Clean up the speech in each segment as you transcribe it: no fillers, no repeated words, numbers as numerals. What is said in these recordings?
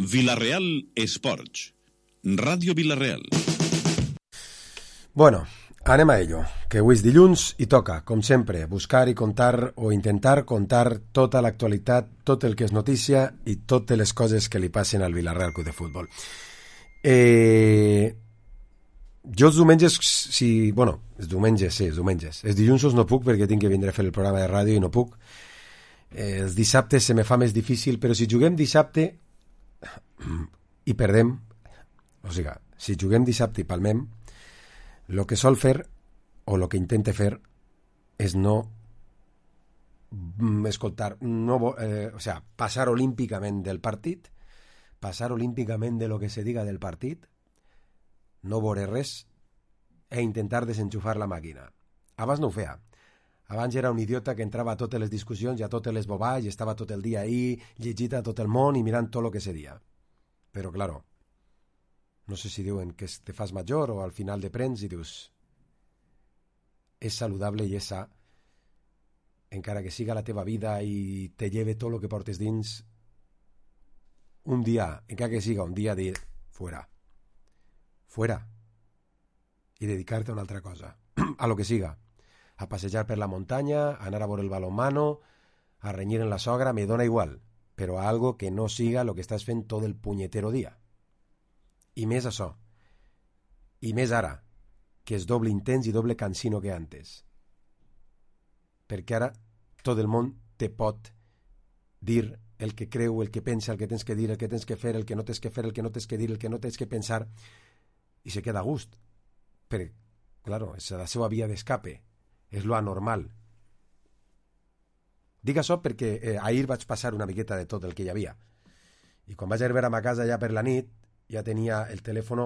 Vila-real Esports. Ràdio Vila-real. Bueno, anem a ello, que avui és dilluns i toca, com sempre, buscar i contar o intentar contar tota l'actualitat, tot el que és notícia i totes les coses que li passen al Vila-real Club de Futbol. Jo els diumenges, els diumenges. Els dilluns no puc perquè tinc que vindre a fer el programa de ràdio i no puc. Els dissabtes se me fa més difícil, però si juguem dissabte i perdem, o sigui, si juguem dissabte i palmem, el que sol fer o el que intente fer és no escoltar, passar olímpicament del partit, passar olímpicament de lo que se diga del partit, no veure res e intentar desenxufar la màquina. Abans no ho feia. Abans era un idiota que entrava a totes les discussions i a totes les bobades i estava tot el dia ahí, llegit a tot el món i mirant tot el que se dia. Però, claro, no sé si diuen que te fas major o al final de prens i dius és saludable i és sa, encara que siga la teva vida i te lleve tot el que portes dins, un dia, encara que siga un dia de fuera, i dedicar-te a una altra cosa, a lo que siga, a passejar per la muntanya, a anar a veure el balonmano, a renyir en la sogra, me dona igual, però a algo que no siga lo que estàs fent tot el punyetero dia. I més això, i més ara, que és doble intens i doble cansino que antes. Perquè ara tot el món te pot dir el que creu, el que pensa, el que tens que dir, el que tens que fer, el que no tens que fer, el que no tens que dir, el que no tens que pensar, i se queda a gust. Però, claro, és la seva via d'escape, és lo anormal. Dic això perquè ahir vaig passar una miqueta de tot el que hi havia. I quan vaig arribar a ma casa ja per la nit, ja tenia el telèfon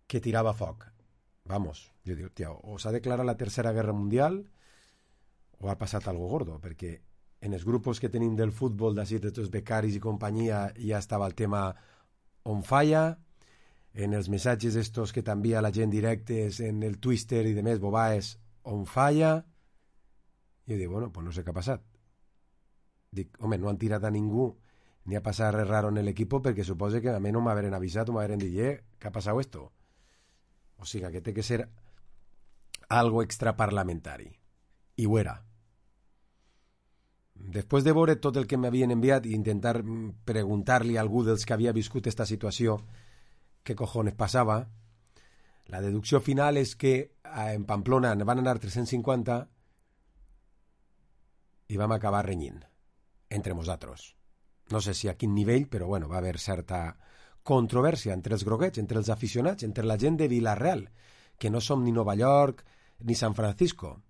que tirava foc. Vamos, jo dic, tia, o s'ha declarat la Tercera Guerra Mundial o ha passat algo gordo, perquè en els grups que tenim del futbol, d'ací, de tots becaris i companyia, ja estava el tema on falla, en els missatges estos que t'envia la gent directes, en el Twitter i demés bobaes, on falla. Jo dic, bueno, pues no sé què ha passat. Dic, home, no han tirat a ningú ni ha passat res raro en l'equip perquè suposo que a mi no m'haveren avisat o m'haveren dit, què ha passat esto? O sigui, que té que ser algo extraparlamentari. I ho era. Després de veure tot el que m'havien enviat i intentar preguntar-li a algú dels que havia viscut esta situació què cojones passava, la deducció final és que en Pamplona van anar 350 i vam acabar renyint entre nosaltres. No sé si a quin nivell, però bueno, va haver certa controvèrsia entre els groguets, entre els aficionats, entre la gent de Vila-real, que no som ni Nova York ni San Francisco,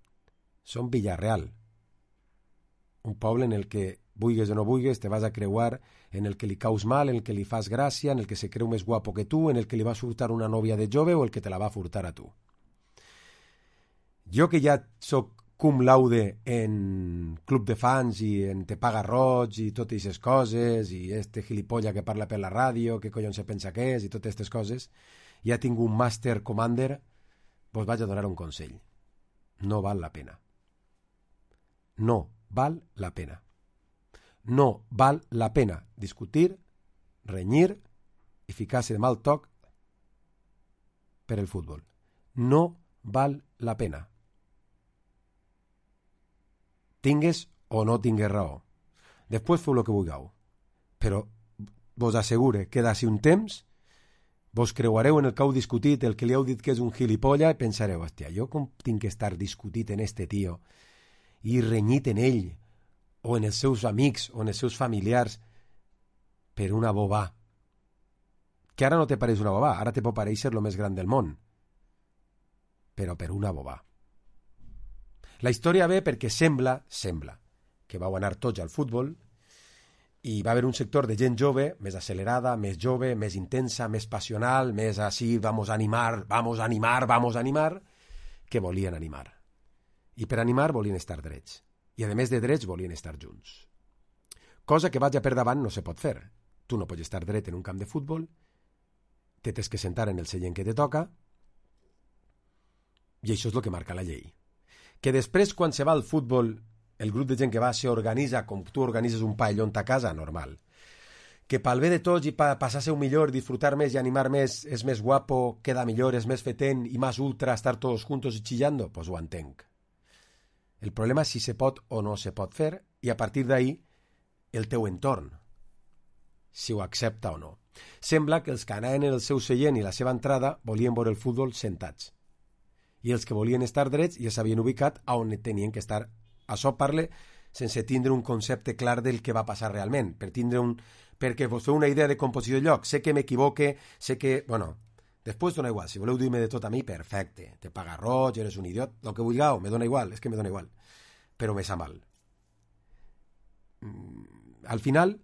som Vila-real. Un poble en el que, vulgues o no vulgues, te vas a creuar, en el que li caus mal, en el que li fas gràcia, en el que se creu més guapo que tu, en el que li vas furtar una nòvia de jove o el que te la va furtar a tu. Jo que ja soc cum laude en club de fans i en Te Paga Roig i totes aquestes coses i este gilipolla que parla per la ràdio, que collons se pensa que és i totes aquestes coses, ja tinc un Master Commander, vos vaig a donar un consell. No val la pena. No val la pena. No val la pena discutir, renyir i ficar-se de mal toc per el futbol. No val la pena. Tingues o no tingues raó. Després feu el que vulgueu. Però vos assegure que d'ací un temps vos creuareu en el que heu discutit, el que li heu dit que és un gilipolla, i pensareu, hòstia, jo com tinc que estar discutit en este tio i renyit en ell o en els seus amics o en els seus familiars per una bobà. Que ara no te pareix una bobà, ara te pot pareixer el més gran del món. Però per una bobà. La història ve perquè sembla que vau anar tots al futbol i va haver un sector de gent jove, més accelerada, més jove, més intensa, més passional, més així, vamos a animar, que volien animar. I per animar volien estar drets. I a més de drets volien estar junts. Cosa que vaig a per davant no se pot fer. Tu no pots estar dret en un camp de futbol, te tens que sentar en el seient que te toca, i això és el que marca la llei. Que després, quan se va al futbol, el grup de gent que va s'organitza com tu organitzes un pavelló a casa, normal. que pel bé de tots i passar a ser un millor, disfrutar més i animar més, és més guapo, queda millor, és més fetent i més ultra estar todos juntos y chillando, pues ho entenc. El problema és si se pot o no se pot fer i a partir d'ahí el teu entorn, si ho accepta o no. Sembla que els que anaven en el seu seient i la seva entrada volien veure el futbol sentats. I els que volien estar drets ja s'havien ubicat a on tenien que estar. Això parle sense tindre un concepte clar del que va passar realment, perquè vos feu una idea de composició de lloc. Sé que m'equivoque, sé que... Bueno, després dona igual. Si voleu dir-me de tot a mi, perfecte. Te paga roig, eres un idiot, el que vulgueu, me dona igual, és que me dona igual. Però me sa mal. Al final,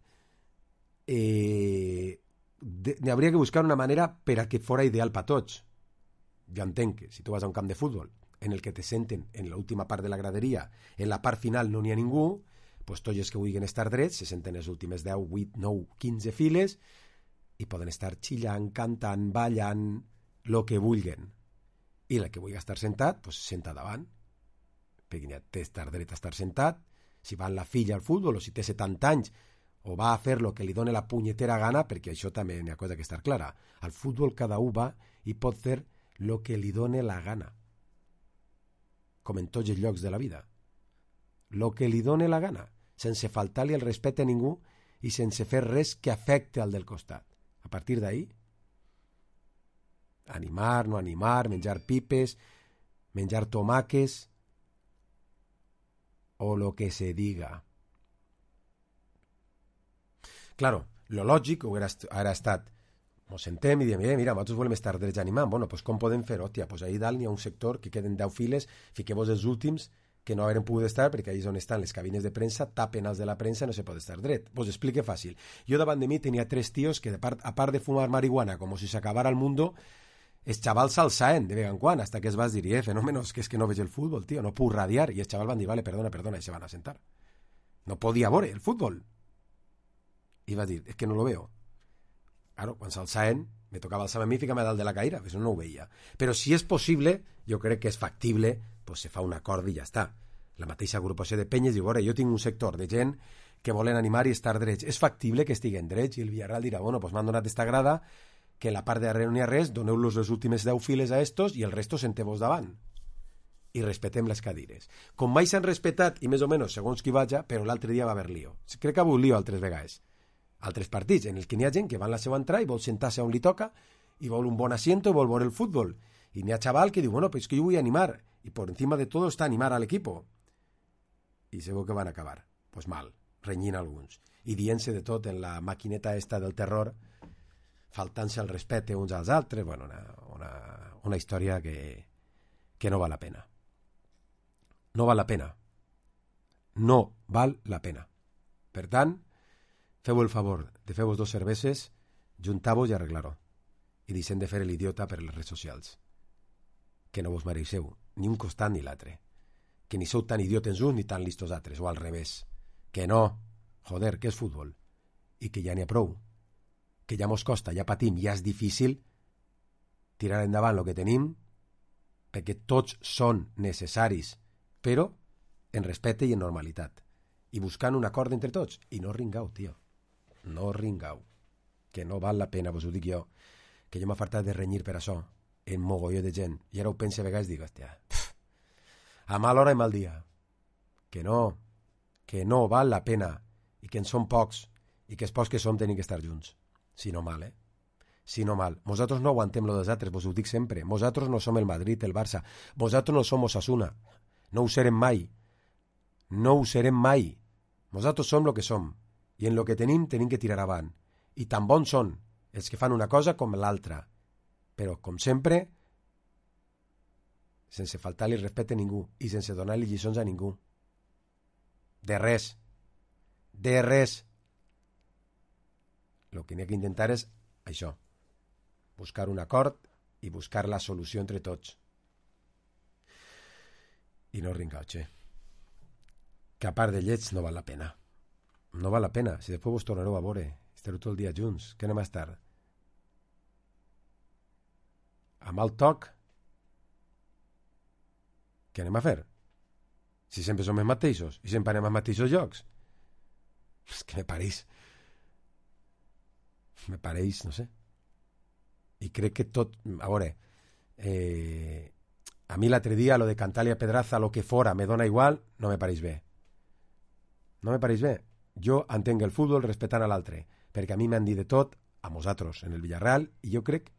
habría que buscar una manera per a que fora ideal per tots. Jo entenc que si tu vas a un camp de futbol en el que te senten en l'última part de la graderia, en la part final no n'hi ha ningú, pues tots els que vulguin estar drets se senten les últimes 10, 8, 9, 15 files i poden estar xillant, cantant, ballant, lo que vulguen. I la que vulgui estar sentat, pues senta davant. Perquè ja té estar dret a estar sentat. Si va amb la filla al futbol o si té 70 anys o va a fer lo que li doni la punyetera gana, perquè això també n'hi ha cosa que estar clara. Al futbol cada un va i pot fer lo que li doni la gana. Com en tots els llocs de la vida. Lo que li doni la gana, sense faltar-li el respecte a ningú i sense fer res que afecte al del costat. A partir d'ahí, animar, no animar, menjar pipes, menjar tomaques o lo que se diga. Claro, lo lògic hauria estat mos sentem i diem, mira, nosaltres volem estar drets animant. Bueno, pues com podem fer? Hòstia, pues ahí dalt n'hi ha un sector que queden 10 files, fiqueu-vos els últims que no haurem pogut estar, perquè ahí és on estan les cabines de premsa, tapen els de la premsa, no se pot estar dret. Vos explique fàcil. Jo davant de mi tenia 3 tios que, a part de fumar marihuana, com si s'acabara el mundo, els xavals s'alçaven de vegada en quan, hasta que es vas dir, fenòmenos, que és que no veig el futbol, tio, no puc radiar, i els xavals van dir, vale, perdona, i se van a sentar. No podia veure el futbol. I vas dir, és que no lo veo. Claro, quan s'alçaven, me tocava alçar a mi i ficar-me dalt de la caïra, perquè no ho veia. Però si és possible, jo crec que és factible, pues se fa un acord i ja està. La mateixa agrupació de penyes diu, jo tinc un sector de gent que volen animar i estar drets. És factible que estiguen drets? I el Villarreal dirà, bueno, pues m'han donat esta grada, que en la part de darrere no hi ha res, doneu-los les últimes 10 files a estos i el resto senteu-vos davant. I respetem les cadires. Com mai s'han respetat, i més o menys segons qui vaja, però l'altre dia va haver lío. Crec que ha hagut lío altres vegades. Altres partits en els que n'hi ha gent que va en la seva entrada i vol sentar-se on li toca i vol un bon asiento i vol veure el futbol. I n'hi ha xaval que diu, bueno, pues que jo vull animar. I por encima de todo està animar al equipo. I segur que van acabar. Pues mal, renyint alguns. I dient-se de tot en la maquineta esta del terror, faltant-se el respecte uns als altres. Bueno, una història que no val la pena. No val la pena. No val la pena. Per tant, feu el favor de fer-vos 2 cerveses, juntar-vos i arreglar-ho. I deixem de fer l'idiota per les redes socials. Que no vos mereixeu, ni un costat ni l'altre. Que ni sou tan idiotes uns ni tan listos altres, o al revés. Que no, joder, que és futbol. I que ja n'hi ha prou. Que ja mos costa, ja patim, ja és difícil tirar endavant el que tenim, perquè tots són necessaris, però en respecte i en normalitat. I buscant un acord entre tots. I no ringau, tio. No ringau. Que no val la pena, vos ho dic jo. Que jo m'ha fartat de renyir per això, en mogolló de gent. I ara ho pense a vegades i dic, hòstia, a mal hora i mal dia. Que no val la pena. I que en som pocs. I que els pocs que som tenim que estar junts. Si no mal, Si no mal. Nosaltres no aguantem lo dels altres, vos ho dic sempre. Nosaltres no som el Madrid, el Barça. Nosaltres no som Osasuna. No ho serem mai. No ho serem mai. Nosaltres som lo que som. I en lo que tenim que tirar avant. I tan bons són els que fan una cosa com l'altra. Però, com sempre, sense faltar-li respecte a ningú i sense donar-li lliçons a ningú. De res. De res. Lo que n'hi ha que intentar és això. Buscar un acord i buscar la solució entre tots. I no ringauche. Que a part de lleig no val la pena. No val la pena. Si després vos tornareu a veure, estareu tot el dia junts. Què anem a estar? A mal toc? Què anem a fer? Si sempre som els mateixos i sempre anem als mateixos llocs. És que me pareix me pareix, no sé. I crec que tot... A veure, a mi l'altre dia lo de cantar-li a Pedraza lo que fora me dona igual, no me pareix bé. No me pareix bé. Jo entenc el futbol respectant a l'altre, perquè a mi m'han dit de tot, a nosaltres, en el Villarreal, i jo crec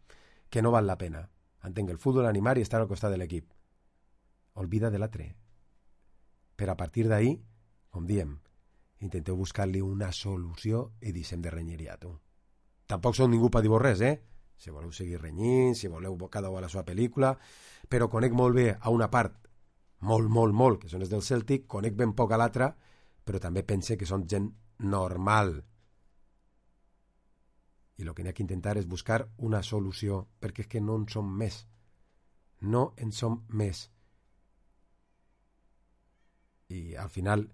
que no val la pena. Entenc el futbol, animar i estar al costat de l'equip. Olvida de l'altre. Per a partir d'ahí, com diem, intenteu buscar-li una solució i deixem de renyeria, tu. Tampoc som ningú per dir-vos res, Si voleu seguir renyint, si voleu cada un a la seva pel·lícula, però conec molt bé a una part, molt, que són els del Celtic, conec ben poc a l'altra, però també pense que són gent normal. I el que n'hi ha que intentar és buscar una solució, perquè és que no en som més. No en som més. I al final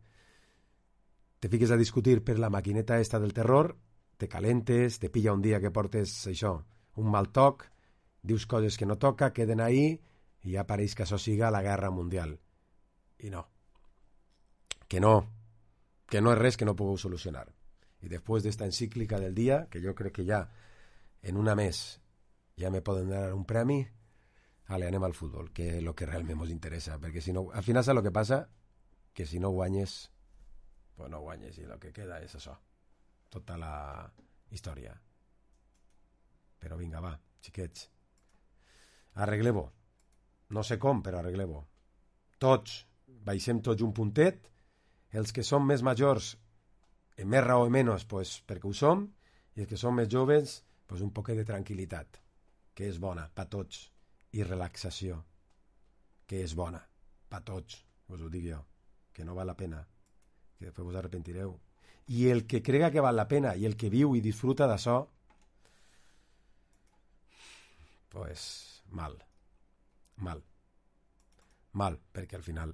te fiques a discutir per la maquineta esta del terror, te calentes, te pilla un dia que portes això, un mal toc, dius coses que no toca, queden ahí i ja pareix que això siga la guerra mundial. I no. Que no és res que no pugueu solucionar. I després d'esta encíclica del dia, que jo crec que ja en una més ja me poden dar un premi, anem al futbol, que és el que realment ens interessa, perquè si no, al final saps el que passa? Que si no guanyes, pues no guanyes, i el que queda és això, tota la història. Però vinga, va, xiquets, arregleu-ho. No sé com, però arregleu-ho. Tots, baixem tots un puntet, els que som més majors, en més raó o menys, pues, perquè ho som, i els que som més joves, pues, un poquet de tranquil·litat, que és bona per tots, i relaxació, que és bona per tots, us ho dic jo, que no val la pena, que després us arrepentireu. I el que crega que val la pena i el que viu i disfruta d'això, pues mal, perquè al final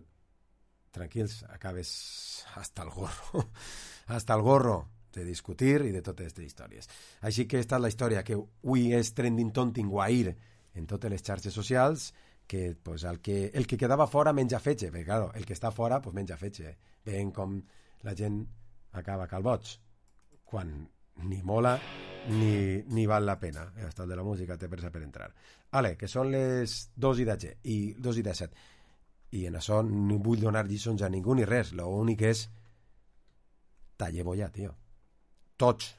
tranquils, acabes hasta el gorro de discutir i de totes aquestes històries. Així que esta és la història que avui és trending tontint guair en totes les xarxes socials, que pues, el que quedava fora menja fetge, perquè claro, el que està fora pues, menja fetge. Veiem com la gent acaba calboig, quan ni mola ni val la pena. Hasta el de la música té pressa per entrar. Ale, que són les 2:17 i en això no vull donar lliçons a ningú ni res, l'únic és talleu-ho ja, tio, tots.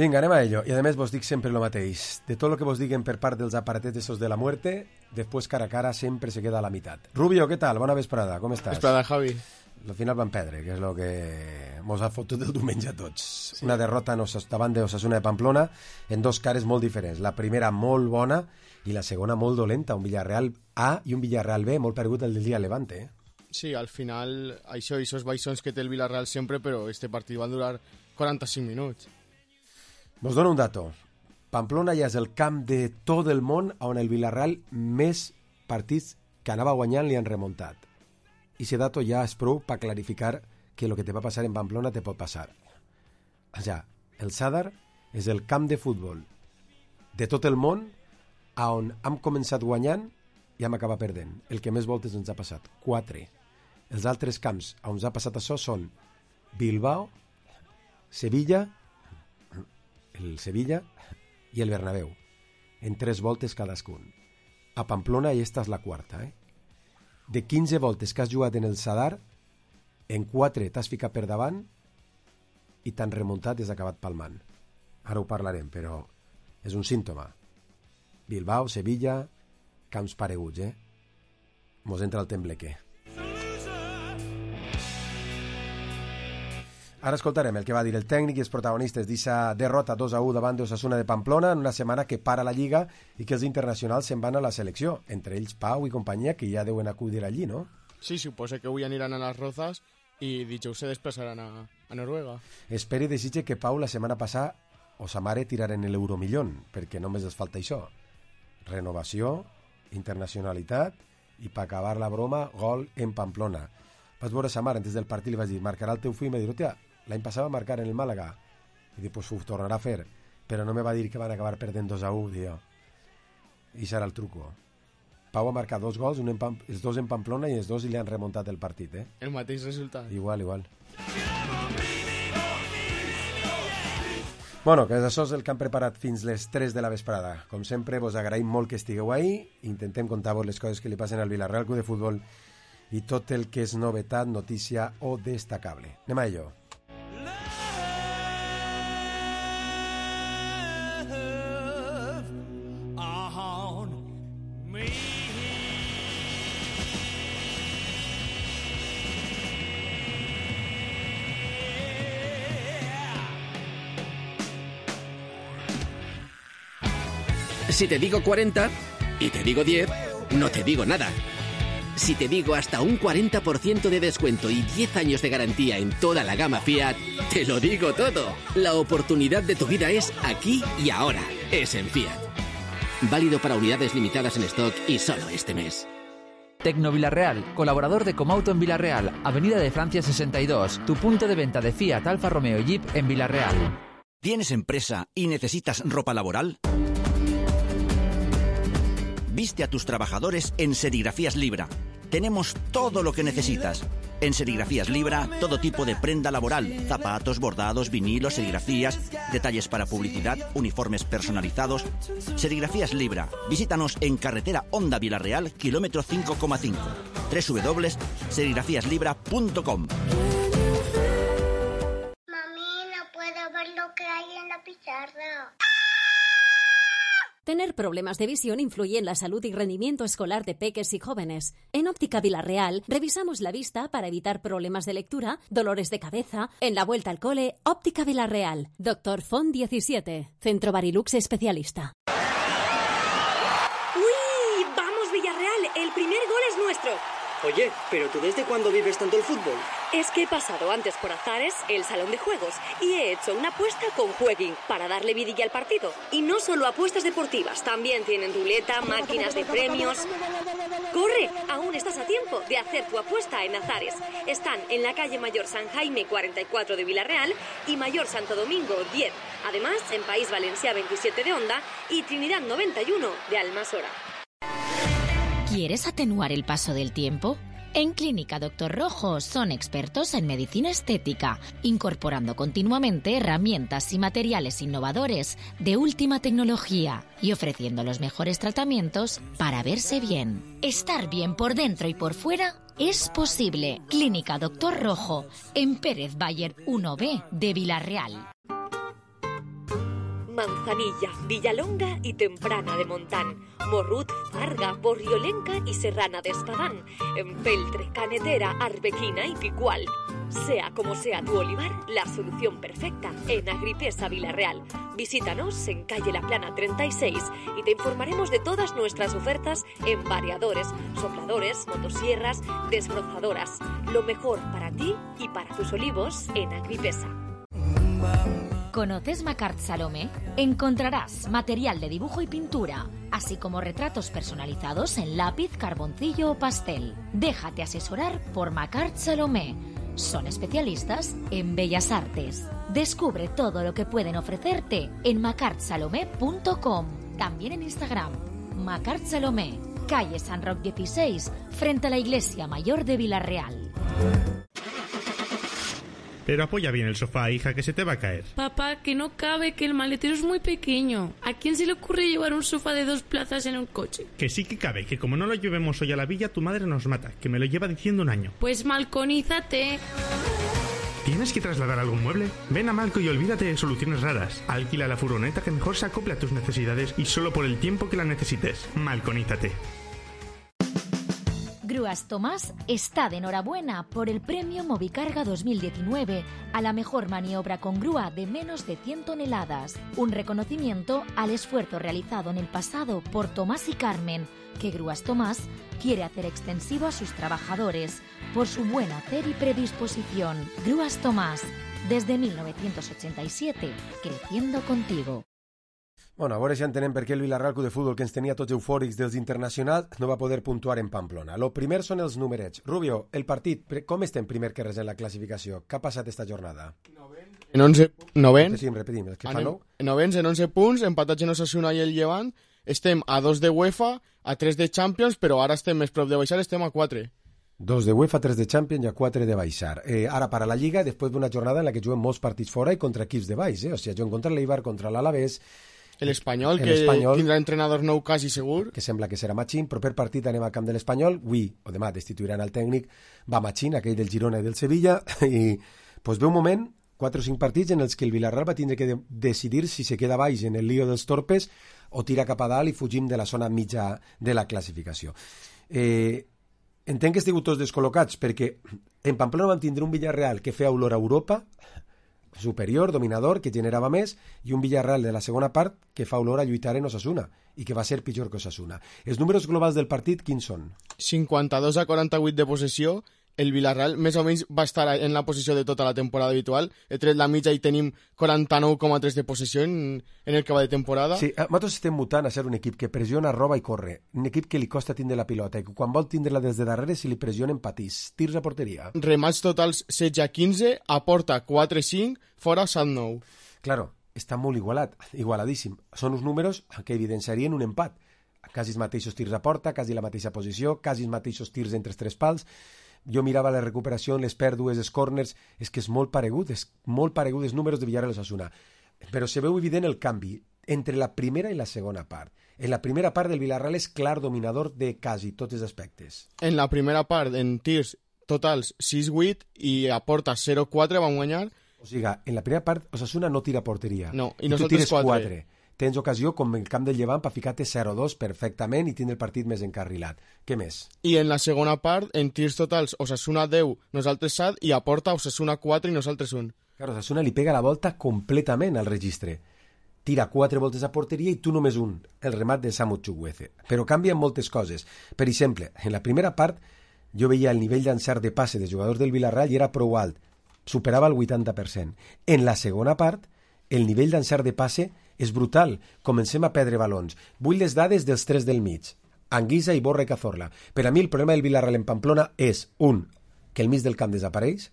Vinga, anem a ello. I a més vos dic sempre el mateix. De tot el que vos diguen per part dels aparatets esos de la muerte, después cara a cara sempre se queda a la mitad. Rubio, què tal? Bona vesprada, com estàs? Vesprada, Javi. Al final van perdre, que és el que mos ha fotut el diumenge a tots. Sí. Una derrota davant de Osasuna de Pamplona en dos cares molt diferents. La primera molt bona i la segona molt dolenta. Un Villarreal A i un Villarreal B molt perdut el del dia Levante. Sí, al final, això i esos baixons que té el Villarreal sempre, però este partit va durar 45 minuts. Vos dono un dato. Pamplona ja és el camp de tot el món on el Villarreal més partits que anava guanyant li han remuntat. I aquest dato ja és prou per clarificar que el que te va passar en Pamplona te pot passar. Ja, el Sadar és el camp de futbol de tot el món on hem començat guanyant i hem acabat perdent. El que més voltes ens ha passat, 4. Els altres camps on ens ha passat això són Bilbao, Sevilla, el Sevilla i el Bernabéu, en 3 voltes cadascun. A Pamplona i esta és la quarta. De 15 voltes que has jugat en el Sadar, en 4 t'has ficat per davant i t'han remuntat i has acabat palmant. Ara ho parlarem, però és un símptoma. Bilbao, Sevilla, camps pareguts, Mos entra el temblequer. Ara escoltarem el que va dir el tècnic i els protagonistes d'eixa derrota 2-1 davant d'Osasuna de Pamplona en una setmana que para la Lliga i que els internacionals se'n van a la selecció, entre ells Pau i companyia, que ja deuen acudir allí, no? Sí, suposa que avui aniran a les Rozas i dijous se desplaçaran a Noruega. Espero i desitge que Pau la setmana passada o sa mare tiraren l'Euromillón, perquè només els falta això. Renovació, internacionalitat i per acabar la broma, gol en Pamplona. Vaig veure sa mare antes del partit i li vaig dir, marcarà el teu fill? I m'ha dit, hòstia, l'any passat va marcar en el Màlaga. I dic, pues ho tornarà a fer. Però no me va dir que van acabar perdent 2-1, diu. I serà el truco. Pau ha marcat 2 gols, els 2 en Pamplona i els 2 li han remuntat el partit, eh? El mateix resultat. Igual. Bueno, que això és el que han preparat fins les 3 de la vesprada. Com sempre, vos agraïm molt que estigueu ahí. Intentem contar-vos les coses que li passen al Villarreal Club de Futbol i tot el que és novetat, notícia o destacable. Anem a ello. Si te digo 40 y te digo 10, no te digo nada. Si te digo hasta un 40% de descuento y 10 años de garantía en toda la gama Fiat, te lo digo todo. La oportunidad de tu vida es aquí y ahora. Es en Fiat. Válido para unidades limitadas en stock y solo este mes. Tecno Villarreal, colaborador de Comauto en Villarreal, Avenida de Francia 62, tu punto de venta de Fiat, Alfa Romeo y Jeep en Villarreal. ¿Tienes empresa y necesitas ropa laboral? Viste a tus trabajadores en Serigrafías Libra. Tenemos todo lo que necesitas. En Serigrafías Libra, todo tipo de prenda laboral, zapatos, bordados, vinilos, serigrafías, detalles para publicidad, uniformes personalizados. Serigrafías Libra. Visítanos en carretera Honda Villarreal, kilómetro 5,5. www.serigrafíaslibra.com. Mami, no puedo ver lo que hay en la pizarra. Tener problemas de visión influye en la salud y rendimiento escolar de peques y jóvenes. En Óptica Villarreal revisamos la vista para evitar problemas de lectura, dolores de cabeza. En la vuelta al cole, Óptica Villarreal. Dr. Font 17, Centro Barilux Especialista. ¡Uy! ¡Vamos, Villarreal! El primer gol es nuestro. Oye, ¿pero tú desde cuándo vives tanto el fútbol? Es que he pasado antes por Azares, el salón de juegos, y he hecho una apuesta con Jueguin para darle vidilla al partido. Y no solo apuestas deportivas, también tienen ruleta, máquinas de premios. ¡Corre! Aún estás a tiempo de hacer tu apuesta en Azares. Están en la calle Mayor San Jaime 44 de Villarreal y Mayor Santo Domingo 10. Además, en País Valencià 27 de Onda y Trinidad 91 de Almasora. ¿Quieres atenuar el paso del tiempo? En Clínica Doctor Rojo son expertos en medicina estética, incorporando continuamente herramientas y materiales innovadores de última tecnología y ofreciendo los mejores tratamientos para verse bien. Estar bien por dentro y por fuera es posible. Clínica Doctor Rojo, en Pérez Bayer 1B de Villarreal. Manzanilla, Villalonga y Temprana de Montán, Morrut, Farga, Borriolenca y Serrana de Espadán, Empeltre, Canetera, Arbequina y Picual. Sea como sea tu olivar, la solución perfecta en Agripesa Villarreal. Visítanos en calle La Plana 36 y te informaremos de todas nuestras ofertas en variadores, sopladores, motosierras, desbrozadoras. Lo mejor para ti y para tus olivos en Agripesa. ¿Conoces Macart Salomé? Encontrarás material de dibujo y pintura, así como retratos personalizados en lápiz, carboncillo o pastel. Déjate asesorar por Macart Salomé. Son especialistas en bellas artes. Descubre todo lo que pueden ofrecerte en macartsalomé.com. También en Instagram. Macart Salomé, calle San Roc 16, frente a la Iglesia Mayor de Villarreal. Pero apoya bien el sofá, hija, que se te va a caer. Papá, que no cabe, que el maletero es muy pequeño. ¿A quién se le ocurre llevar un sofá de 2 plazas en un coche? Que sí que cabe, que como no lo llevemos hoy a la villa, tu madre nos mata, que me lo lleva diciendo un año. Pues malconízate. ¿Tienes que trasladar algún mueble? Ven a Malco y olvídate de soluciones raras. Alquila la furgoneta que mejor se acople a tus necesidades y solo por el tiempo que la necesites. Malconízate. Gruas Tomás está de enhorabuena por el premio Movicarga 2019 a la mejor maniobra con grúa de menos de 100 toneladas. Un reconocimiento al esfuerzo realizado en el pasado por Tomás y Carmen, que Gruas Tomás quiere hacer extensivo a sus trabajadores por su buen hacer y predisposición. Gruas Tomás, desde 1987, creciendo contigo. Bueno, a veure si entenem per què el Vila-real Club de Futbol, que ens tenia tots eufòrics dels internacionals, no va poder puntuar en Pamplona. Lo primer són els numerets. Rubio, el partit, com estem primer que res en la classificació? Què ha passat esta jornada? En 11... Novens. Repetim, el que fa nou. Novens en 11 punts, empatats en Osasuna i el Llevant. Estem a 2 de UEFA, a 3 de Champions, però ara estem més prop de baixar, estem a 4. 2 de UEFA, 3 de Champions i a 4 de baixar. Ara, para la Lliga, després d'una jornada en la que juguem molts partits fora i contra equips de baix. O sigui, juguem contra l'Eibar, contra l'Alavés. L'Espanyol, que tindrà entrenador nou quasi segur. Que sembla que serà Machín. Proper partit anem al camp de l'Espanyol. Avui o demà destituiran el tècnic. Va Machín, aquell del Girona i del Sevilla. I pues, ve un moment, 4 o 5 partits en els que el Villarreal va tindre que decidir si se queda baix en el lío dels torpes o tira cap a dalt i fugim de la zona mitja de la classificació. Entenc que estigueu tots descol·locats perquè en Pamplona vam tindre un Villarreal que feia olor a Europa, superior, dominador, que generava més, i un Villarreal de la segona part que fa olor a lluitar en Osasuna i que va ser pitjor que Osasuna. Els números globals del partit quins són? 52 a 48 de possessió. El Villarreal més o menys va estar en la posició de tota la temporada habitual. He tret la mitja i tenim 49,3 de possessió en el que va de temporada. Sí, nosaltres estem mutant a ser un equip que pressiona, roba i corre. Un equip que li costa tindre la pilota i que quan vol tindre-la des de darrere, si li pressionen, patís. Tirs a porteria. Remats totals 16 a 15, a porta 4-5, fora 7-9. Claro, està molt igualat, igualadíssim. Són uns números que evidenciarien un empat. Quasi els mateixos tirs a porta, quasi la mateixa posició, quasi els mateixos tirs entre els tres pals. Jo mirava la recuperació, les pèrdues, els corners, és que és molt paregut els números de Villarreal Osasuna. Però se veu evident el canvi entre la primera i la segona part. En la primera part del Villarreal és clar dominador de quasi tots els aspectes. En la primera part, en tirs totals 6-8 i a porta 0-4 vam guanyar. O sigui, en la primera part Osasuna no tira porteria. No, i tu nosaltres tires 4. Tens ocasió, com el camp del Llevant, per ficar-te 0-2 perfectament i tindre el partit més encarrilat. Què més? I en la segona part, en tirs totals, Osasuna 10, nosaltres 7, i a porta Osasuna 4 i nosaltres 1. Claro, Osasuna li pega la volta completament al registre. Tira 4 voltes a porteria i tu només un, el remat de Samu Chukwueze. Però canvien moltes coses. Per exemple, en la primera part, jo veia el nivell d'encert de passe dels jugadors del Villarreal i era prou alt. Superava el 80%. En la segona part, el nivell d'encert de passe és brutal. Comencem a perdre balons. Vull les dades dels 3 del mig. Anguisa, Iborra i Cazorla. Per a mi el problema del Villarreal en Pamplona és, un, que el mig del camp desapareix,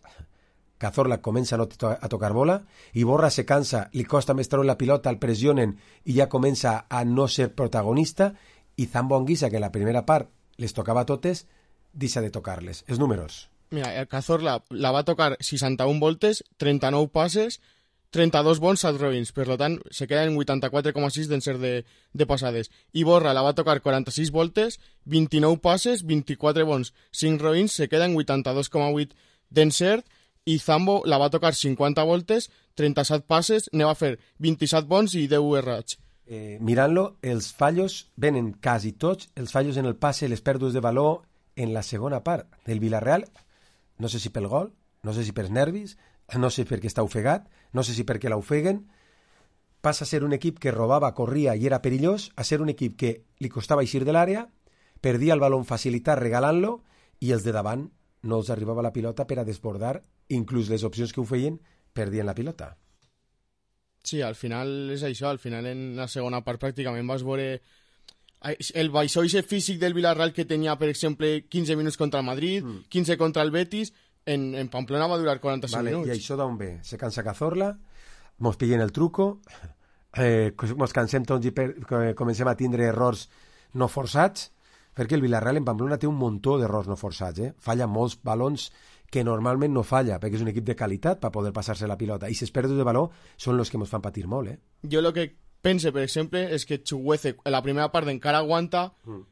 Cazorla comença a no a tocar bola, Iborra se cansa, li costa més treure la pilota, el pressionen i ja comença a no ser protagonista, i Zambo Anguisa, que en la primera part les tocava totes, deixa de tocar-les. Els números. Mira, el Cazorla la va tocar 61 voltes, 39 passes, 32 bons, 7 robins, per tant, se queda en 84,6 d'encert de passades. Iborra la va tocar 46 voltes, 29 passes, 24 bons, 5 robins, se queda en 82,8 d'encert, i Zambo la va tocar 50 voltes, 37 passes, ne va fer 27 bons i 10 errats. Mirant-lo, els fallos venen quasi tots, els fallos en el passe, les pèrdues de valor en la segona part del Villarreal, no sé si pel gol, no sé si pels nervis, no sé perquè està ofegat, no sé si perquè l'ofeguen, passa a ser un equip que robava, corria i era perillós, a ser un equip que li costava eixir de l'àrea, perdia el baló facilitat regalant-lo i els de davant no els arribava la pilota per a desbordar, inclús les opcions que ho feien perdien la pilota. Sí, al final és això, al final en la segona part pràcticament vas veure el baixoixe físic del Villarreal que tenia, per exemple, 15 minuts contra el Madrid, 15 contra el Betis. En Pamplona va durar 45 minuts. I això d'on ve? Se cansa Cazorla, mos pillen el truco, mos cansem tots i comencem a tindre errors no forçats, perquè el Villarreal en Pamplona té un muntó d'errors no forçats. Falla molts balons que normalment no falla, perquè és un equip de qualitat per poder passar-se la pilota. I si es pèrdues de baló són els que ens fan patir molt. Jo el que pense, per exemple, és que Chukwueze en la primera part encara aguanta,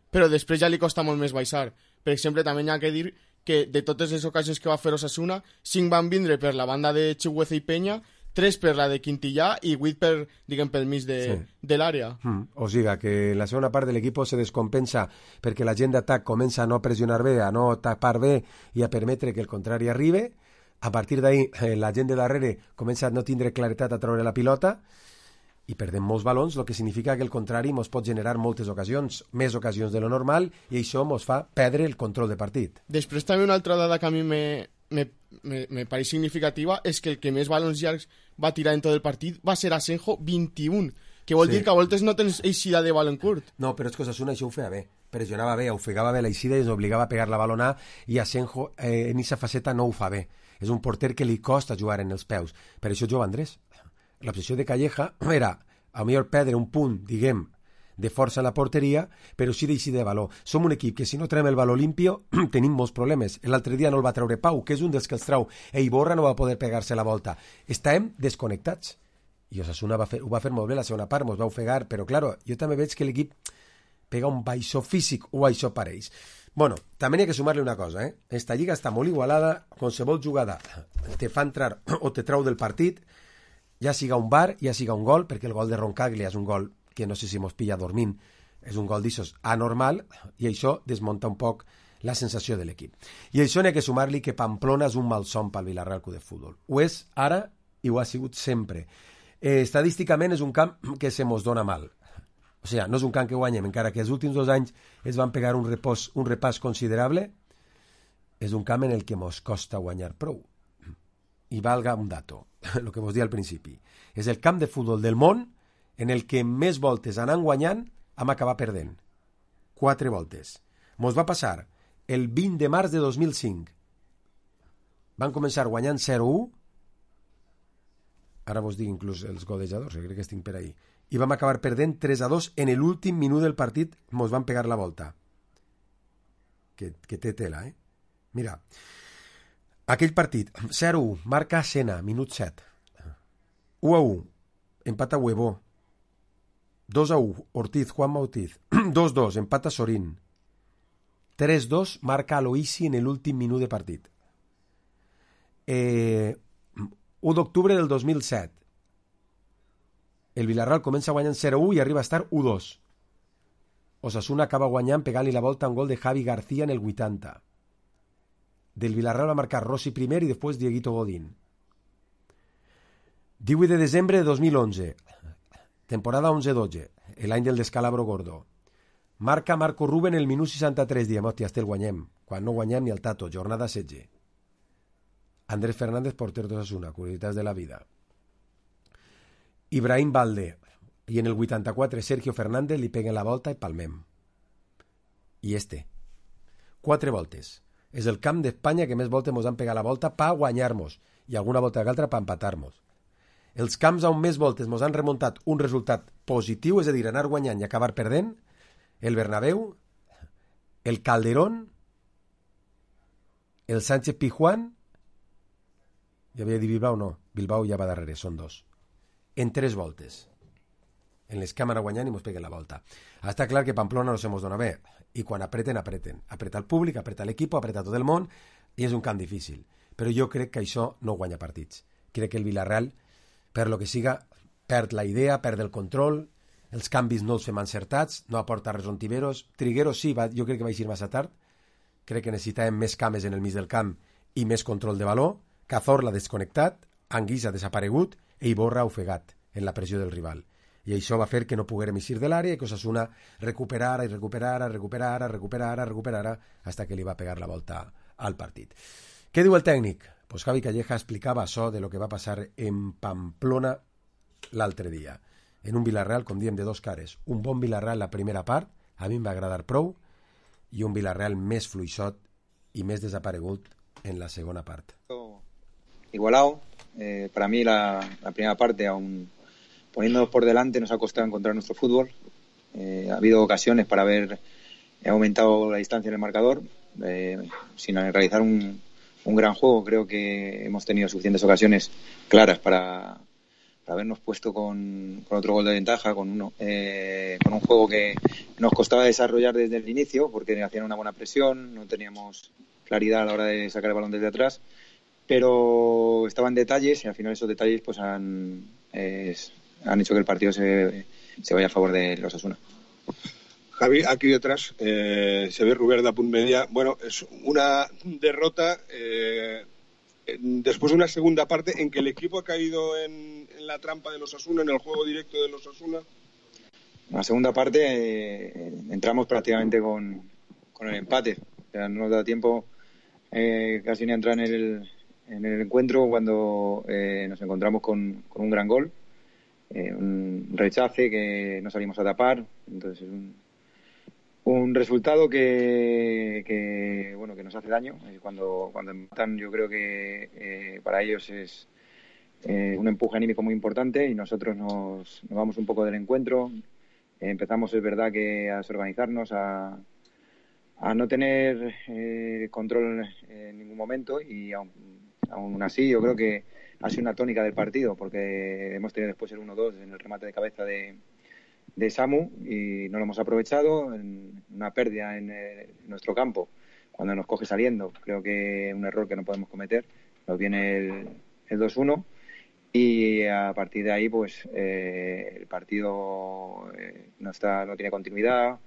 però després ja li costa molt més baixar. Per exemple, també hi ha que dir que de totes les ocasions que va fer Osasuna, 5 van vindre per la banda de Chukwueze i Peña, 3 per la de Quintillà i 8 per, diguem, pel mig de l'àrea. O sigui, que en la segona part de l'equip se descompensa perquè la gent d'atac comença a no pressionar bé, a no tapar bé i a permetre que el contrari arribi. A partir d'ahí, la gent de darrere comença a no tindre claretat a treure la pilota i perdem molts balons, el que significa que el contrari ens pot generar moltes ocasions, més ocasions de lo normal, i això ens fa perdre el control de partit. Després també una altra dada que a mi me pareix significativa és que el que més balons llargs va tirar en tot el partit va ser Asenjo, 21, que vol dir que a voltes no tens eixida de balon curt. No, però és que Osasuna això ho feia bé, pressionava bé, ofegava bé l'eixida i ens obligava a pegar la balona, i Asenjo en aquesta faceta no ho fa bé. És un porter que li costa jugar en els peus. Per això juga Andrés. L'obsessió de Calleja era, a millor perdre un punt, diguem, de força en la porteria, però sí d'eixida de valor. Som un equip que si no traiem el valor limpio tenim molts problemes. L'altre dia no el va treure Pau, que és un dels que els trau. Iborra no va poder pegar-se la volta. Estàvem desconnectats. I Osasuna ho va fer molt bé la segona part, ens va ofegar, però claro, jo també veig que l'equip pega un baixó físic o això pareix. Bueno, també hi ha que sumar-li una cosa, Esta lliga està molt igualada, qualsevol jugada te fa entrar o te trau del partit, ja siga un bar, ja siga un gol, perquè el gol de Roncaglia és un gol que no sé si mos pilla dormint, és un gol d'ixos anormal, i això desmunta un poc la sensació de l'equip. I això n'hi ha que sumar-li que Pamplona és un malson pel Vilarreal Club de Futbol. Ho és ara i ho ha sigut sempre. Estadísticament és un camp que se mos dona mal. O sigui, no és un camp que guanyem, encara que els últims 2 anys es van pegar un repàs considerable, és un camp en el que mos costa guanyar prou. I valga un dato, el que vos dia al principi. És el camp de futbol del món en el que més voltes anant guanyant hem acabat perdent. 4 voltes. Mos va passar el 20 de març de 2005. Van començar guanyant 0-1, ara vos dic inclús els golejadors, crec que estic per ahí, i vam acabar perdent 3-2 en l'últim minut del partit, mos van pegar la volta. Que té tela, Mira, aquell partit, 0-1, marca Sena, minut 7. 1-1, empata Huevo. 2-1, Ortiz, Juanma Ortiz. 2-2, empata Sorín. 3-2, marca Aloisi en l'últim minut de partit. 1 d'octubre del 2007. El Vilarreal comença guanyant 0-1 i arriba a estar 1-2. Osasuna acaba guanyant pegant-li la volta a un gol de Javi García en el 80. Del Vilarreal va marcar Rossi primer i després Dieguito Godín. 18 de desembre de 2011. Temporada 11-12. L'any del descalabro gordo. Marca Marco Ruben el minut 63. Diem, hòstia, el guanyem. Quan no guanyem ni el Tato. Jornada 16. Andrés Fernández, porter d'Osasuna. Curiositats de la vida. Ibrahim Balde, i en el 84 Sergio Fernández li peguen la volta i palmem. I 4 voltes. És el camp d'Espanya que més voltes mos han pegat la volta per guanyar-nos, i alguna volta que altra per empatar-nos. Els camps on més voltes mos han remuntat un resultat positiu, és a dir, anar guanyant i acabar perdent, el Bernabéu, el Calderón, el Sánchez Pizjuán, ja havia dit Bilbao, no, Bilbao ja va darrere, són 2. En 3 voltes. En les càmeres guanyant i mos peguen la volta. Està clar que Pamplona no se mos dona bé. I quan apreten, apreten. Apreta el públic, apreta l'equip, apreta tot el món, i és un camp difícil. Però jo crec que això no guanya partits. Crec que el Vilarreal, per lo que siga, perd la idea, perd el control, els canvis no els fem encertats, no aporta res Ontiveros. Trigueros sí, jo crec que va eixir massa tard. Crec que necessitàvem més cames en el mig del camp i més control de valor. Cazorla desconnectat, Anguissa desaparegut, i Iborra ofegat en la pressió del rival. I això va fer que no poguérem eixir de l'àrea i que Osasuna recuperara hasta que li va pegar la volta al partit. Què diu el tècnic? Pues Javi Calleja explicava això de lo que va passar en Pamplona l'altre dia. En un Vilarreal, com diem, de 2 cares. Un bon Vilarreal la primera part, a mi em va agradar prou, i un Vilarreal més fluixot i més desaparegut en la segona part. Igualado. Para mí la primera parte, aún poniéndonos por delante, nos ha costado encontrar nuestro fútbol. Ha habido ocasiones para haber aumentado la distancia en el marcador, sin realizar un gran juego. Creo que hemos tenido suficientes ocasiones claras para habernos puesto con otro gol de ventaja, con un juego que nos costaba desarrollar desde el inicio, porque hacían una buena presión, no teníamos claridad a la hora de sacar el balón desde atrás. pero estaban detalles y al final esos detalles pues han hecho que el partido se vaya a favor de los Osasuna. Javi, aquí detrás se ve Rubén de Apunt Media. Bueno, es una derrota después de una segunda parte en que el equipo ha caído en la trampa de los Osasuna, en el juego directo de los Osasuna. En la segunda parte entramos prácticamente con el empate. O sea, no nos da tiempo casi ni a entrar en el encuentro cuando nos encontramos con un gran gol, un rechace que no salimos a tapar. Entonces es un resultado que nos hace daño. Cuando empatan, yo creo que para ellos es un empuje anímico muy importante y nosotros nos vamos un poco del encuentro. Empezamos, es verdad, que a desorganizarnos, a no tener control en ningún momento, y aún así yo creo que ha sido una tónica del partido, porque hemos tenido después el 1-2 en el remate de cabeza de Samu y no lo hemos aprovechado, en una pérdida en nuestro campo cuando nos coge saliendo. Creo que un error que no podemos cometer. Nos viene el 2-1 y a partir de ahí pues el partido no tiene continuidad,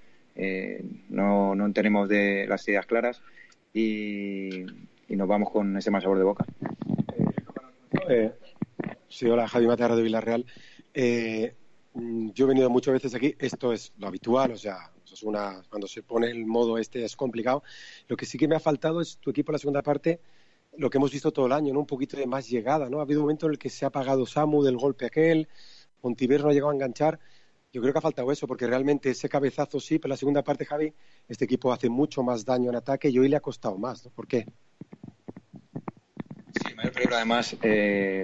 no tenemos las ideas claras y nos vamos con ese mal sabor de boca. Sí, hola, Javi Mata, Radio Villarreal. Yo he venido muchas veces aquí, esto es lo habitual, o sea, cuando se pone el modo es complicado. Lo que sí que me ha faltado es tu equipo en la segunda parte, lo que hemos visto todo el año, ¿no? Un poquito de más llegada, ¿no? Ha habido un momento en el que se ha apagado Samu del golpe aquel, Ontiveros no ha llegado a enganchar. Yo creo que ha faltado eso, porque realmente ese cabezazo sí, pero en la segunda parte, Javi, este equipo hace mucho más daño en ataque y hoy le ha costado más, ¿no? ¿Por qué? Sí, el mayor peligro además,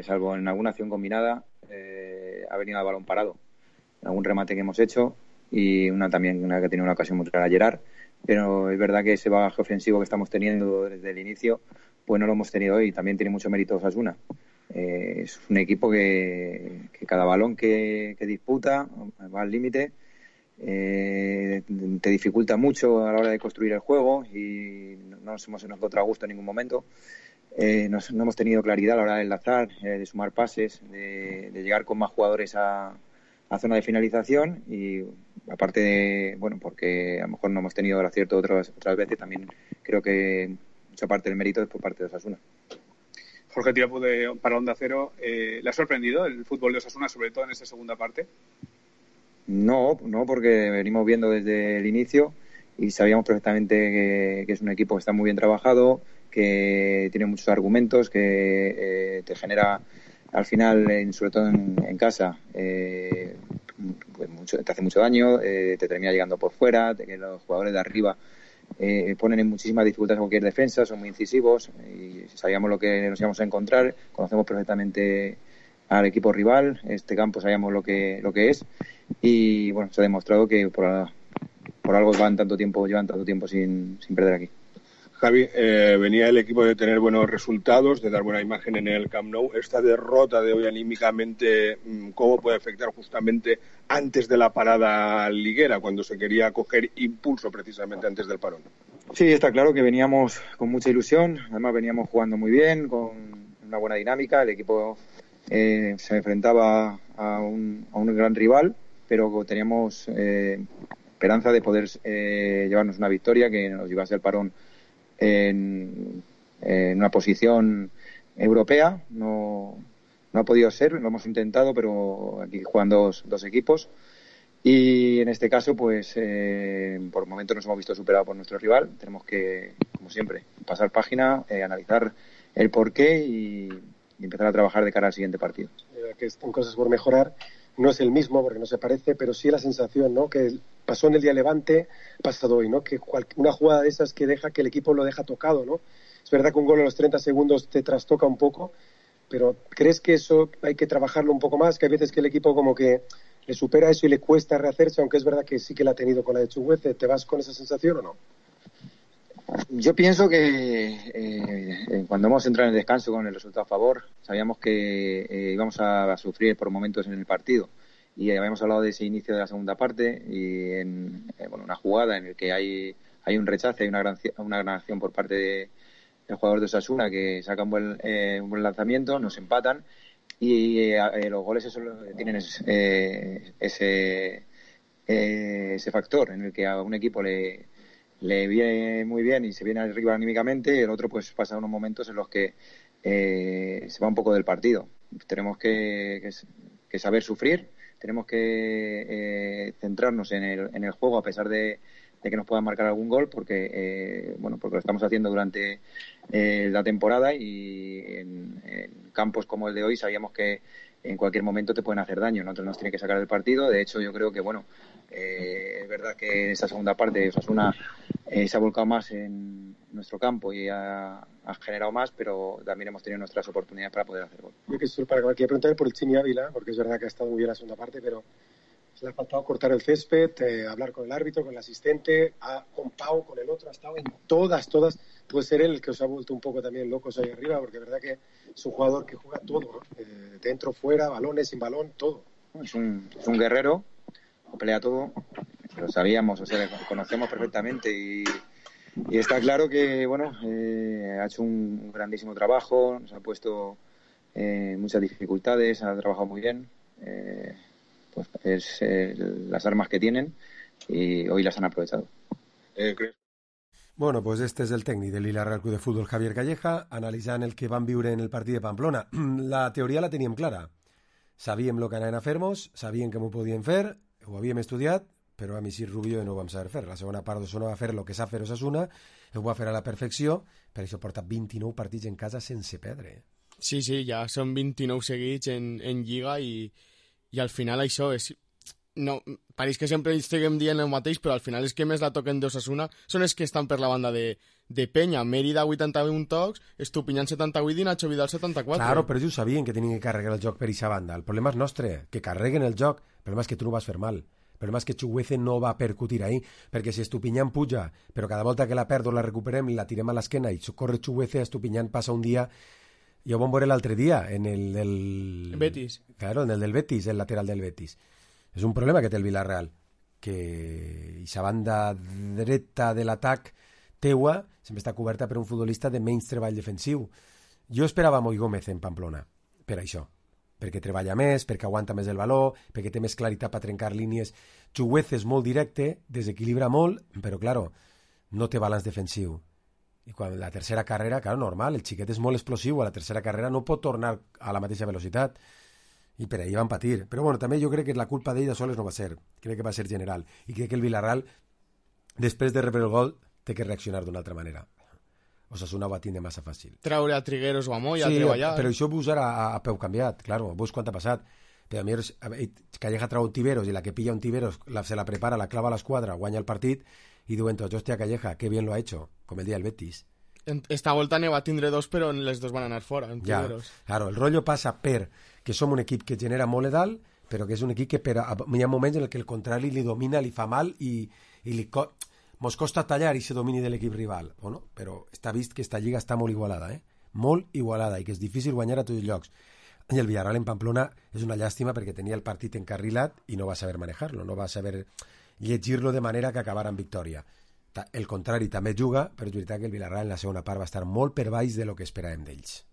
salvo en alguna acción combinada, ha venido al balón parado. En algún remate que hemos hecho y una que ha tenido una ocasión muy clara, Gerard. Pero es verdad que ese bagaje ofensivo que estamos teniendo desde el inicio, pues no lo hemos tenido hoy. También tiene mucho mérito Osasuna. Es un equipo que cada balón que disputa va al límite, te dificulta mucho a la hora de construir el juego y no nos hemos encontrado a gusto en ningún momento. No hemos tenido claridad a la hora de enlazar, de sumar pases, de llegar con más jugadores a zona de finalización y aparte de, porque a lo mejor no hemos tenido el acierto otras veces, también creo que mucha parte del mérito es por parte de Osasuna. Jorge Tirapu para Onda Cero, ¿le ha sorprendido el fútbol de Osasuna, sobre todo en esta segunda parte? No, porque venimos viendo desde el inicio y sabíamos perfectamente que es un equipo que está muy bien trabajado, que tiene muchos argumentos, que te genera al final, sobre todo en casa, pues te hace mucho daño, te termina llegando por fuera, que los jugadores de arriba ponen en muchísimas dificultades cualquier defensa, son muy incisivos y sabíamos lo que nos íbamos a encontrar, conocemos perfectamente al equipo rival, este campo sabíamos lo que es y bueno, se ha demostrado que por algo llevan tanto tiempo sin perder aquí. Javi, venía el equipo de tener buenos resultados, de dar buena imagen en el Camp Nou. Esta derrota de hoy anímicamente, ¿cómo puede afectar justamente antes de la parada liguera, cuando se quería coger impulso precisamente antes del parón? Sí, está claro que veníamos con mucha ilusión, además veníamos jugando muy bien, con una buena dinámica. El equipo se enfrentaba a un gran rival, pero teníamos esperanza de poder llevarnos una victoria que nos llevase al parón en una posición europea. No ha podido ser, lo hemos intentado, pero aquí juegan dos equipos y en este caso pues por momentos nos hemos visto superados por nuestro rival. Tenemos que, como siempre, pasar página, analizar el porqué y empezar a trabajar de cara al siguiente partido. Que están cosas por mejorar. No es el mismo porque no se parece, pero sí la sensación, ¿no? Que pasó en el día Levante, pasado hoy, ¿no? Que una jugada de esas que deja que el equipo lo deja tocado, ¿no? Es verdad que un gol a los 30 segundos te trastoca un poco, pero ¿crees que eso hay que trabajarlo un poco más? Que hay veces que el equipo como que le supera eso y le cuesta rehacerse, aunque es verdad que sí que la ha tenido con la de Chuguece. ¿Te vas con esa sensación o no? Yo pienso que cuando hemos entrado en el descanso con el resultado a favor, sabíamos que íbamos a sufrir por momentos en el partido y habíamos hablado de ese inicio de la segunda parte y en una jugada en la que hay un rechace, hay una gran acción por parte el jugador de Osasuna, que saca un buen lanzamiento, nos empatan y los goles tienen ese factor en el que a un equipo le viene muy bien y se viene arriba anímicamente, y el otro pues pasa unos momentos en los que se va un poco del partido. Tenemos que saber sufrir, tenemos que centrarnos en el juego a pesar de que nos puedan marcar algún gol, porque lo estamos haciendo durante la temporada, y en campos como el de hoy sabíamos que en cualquier momento te pueden hacer daño. Nosotros nos tienen que sacar del partido. De hecho, yo creo que es verdad que en esa segunda parte Osasuna se ha volcado más en nuestro campo y ha generado más, pero también hemos tenido nuestras oportunidades para poder hacer gol. Yo quería preguntar por el Chimi Ávila, porque es verdad que ha estado muy bien la segunda parte, pero le ha faltado cortar el césped, hablar con el árbitro, con el asistente, con Pau, con el otro, ha estado en todas. Puede ser él el que os ha vuelto un poco también locos ahí arriba, porque es verdad que es un jugador que juega todo, ¿no? Dentro, fuera, balones, sin balón, todo. Es un guerrero, lo pelea todo, lo sabíamos, le conocemos perfectamente, y está claro que ha hecho un grandísimo trabajo, nos ha puesto muchas dificultades, ha trabajado muy bien. Pues es las armas que tienen, y hoy las han aprovechado. Bueno, pues este és el tècnic del Villarreal Club de Futbol, Javier Calleja, analitzant el que van viure en el partit de Pamplona. La teoria la teníem clara. Sabíem el que anaven a fer-nos, sabíem que m'ho podien fer, ho havíem estudiat, però a mi sí Rubio no ho vam saber fer. La segona part d'Osasuna va fer el que sap fer Osasuna, ho va fer a la perfecció, per això porta 29 partits en casa sense perdre. Sí, ja són 29 seguits en Lliga, i al final això és... No, pareix que sempre estiguem dient el mateix, però al final és que més la toquen d'Osasuna són els que estan per la banda de Penya. Mérida 81 tocs, Estupiñán 78 i Nacho Vidal 74. Claro, però ells ho sabien que tenien que carregar el joc per aquesta banda. El problema és nostre, que carreguen el joc. El problema és que tu no vas fer mal. El problema és que Chuguece no va percutir ahí, perquè si Estupiñán puja, però cada volta que la perdo la recuperem i la tirem a l'esquena i corre Chuguece, Estupiñán passa un dia... Jo ho vam veure l'altre dia en el del... Betis. Claro, en el del Betis, el lateral del Betis. És un problema que té el Villarreal, que aquesta banda dreta de l'atac teua sempre està coberta per un futbolista de menys treball defensiu. Jo esperava Moi Gómez en Pamplona, per això, perquè treballa més, perquè aguanta més el valor, perquè té més claritat per trencar línies. Chuguez és molt directe, desequilibra molt, però, claro, no té balanç defensiu. I quan la tercera carrera, claro, normal, el xiquet és molt explosiu, a la tercera carrera no pot tornar a la mateixa velocitat, i per ahí van patir. Però bueno, també jo crec que la culpa d'ell de soles no va ser, crec que va ser general, i crec que el Villarreal, després de rebre el gol, té que reaccionar d'una altra manera. Osasuna ho va tindre massa fàcil. Traure a Trigueros o a Moya, sí, a treballar. Però això ho veus ara a peu canviat, claro, veus quant ha passat. Però a mi Calleja trau un Tiveros, i la que pilla un Tiveros se la prepara, la clava a l'esquadra, guanya el partit, i diuen tots, hòstia, Calleja, que bien lo ha hecho, com el dia del Betis. Esta volta ne va tindre dos, però les dos van anar fora. Ja, claro, el rotllo passa per que som un equip que genera molt de dalt, però que és un equip que hi ha moments en què el contrari li domina, li fa mal i mos costa tallar i se domini de l'equip rival. Bueno, però està vist que esta lliga està molt igualada, molt igualada, i que és difícil guanyar a tots els llocs. I el Villarreal en Pamplona és una llàstima perquè tenia el partit encarrilat i no va saber manejar-lo, no va saber llegir-lo de manera que acabara en victòria. El contrari també juga, però és veritat que el Villarreal en la segona part va estar molt per baix de lo que esperàvem d'ells.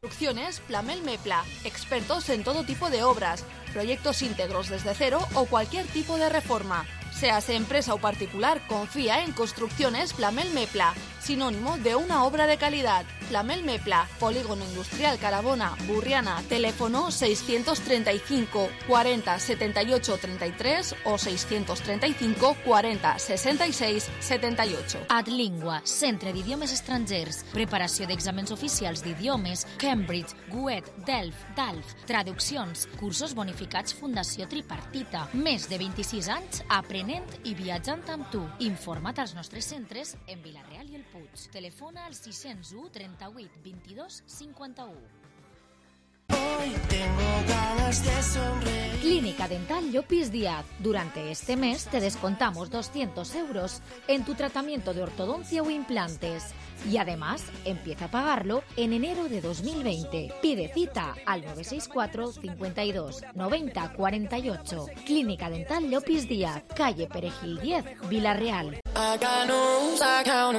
Construcciones Plamel Mepla, expertos en todo tipo de obras, proyectos íntegros desde cero o cualquier tipo de reforma. Seas empresa o particular, confía en Construcciones Plamel Mepla, sinónimo de una obra de calidad. Plamel Mepla, Polígono Industrial Carabona, Burriana, teléfono 635 40 78 33 o 635 40 66 78. Adlingua, centre d'idiomes estrangers, preparació d'exàmens oficials d'idiomes, Cambridge, GUET, DELF, traduccions, cursos bonificats Fundació Tripartita, més de 26 anys aprenent i viatjant amb tu. Informa't als nostres centres en Vilareal i el Puig. Telefona al 601 38 22 51. Hoy tengo ganas de sonreír. Clínica Dental Llopis Díaz. Durante este mes te descontamos 200 euros en tu tratamiento de ortodoncia o implantes. Y además, empieza a pagarlo en enero de 2020. Pide cita al 964 52 90 48. Clínica Dental Llopis Díaz, calle Perejil 10, Vilareal.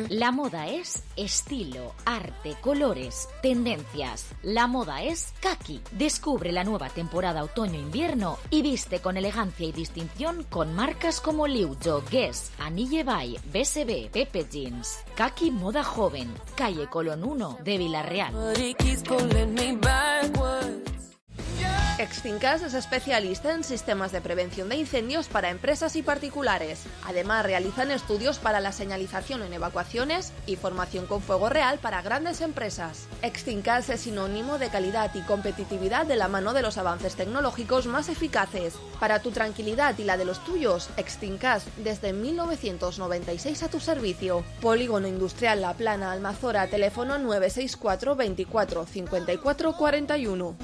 La moda es estilo, arte, colores, tendencias. La moda es Kaki. Descubre la nueva temporada otoño-invierno y viste con elegancia y distinción con marcas como Liujo, Guess, Anille Bay, BSB, Pepe Jeans. Kaki Moda Joven, calle Colón 1 de Villarreal. Extincas es especialista en sistemas de prevención de incendios para empresas y particulares. Además, realizan estudios para la señalización en evacuaciones y formación con fuego real para grandes empresas. Extincas es sinónimo de calidad y competitividad de la mano de los avances tecnológicos más eficaces. Para tu tranquilidad y la de los tuyos, Extincas desde 1996 a tu servicio. Polígono Industrial La Plana, Almazora, teléfono 964 24 54 41.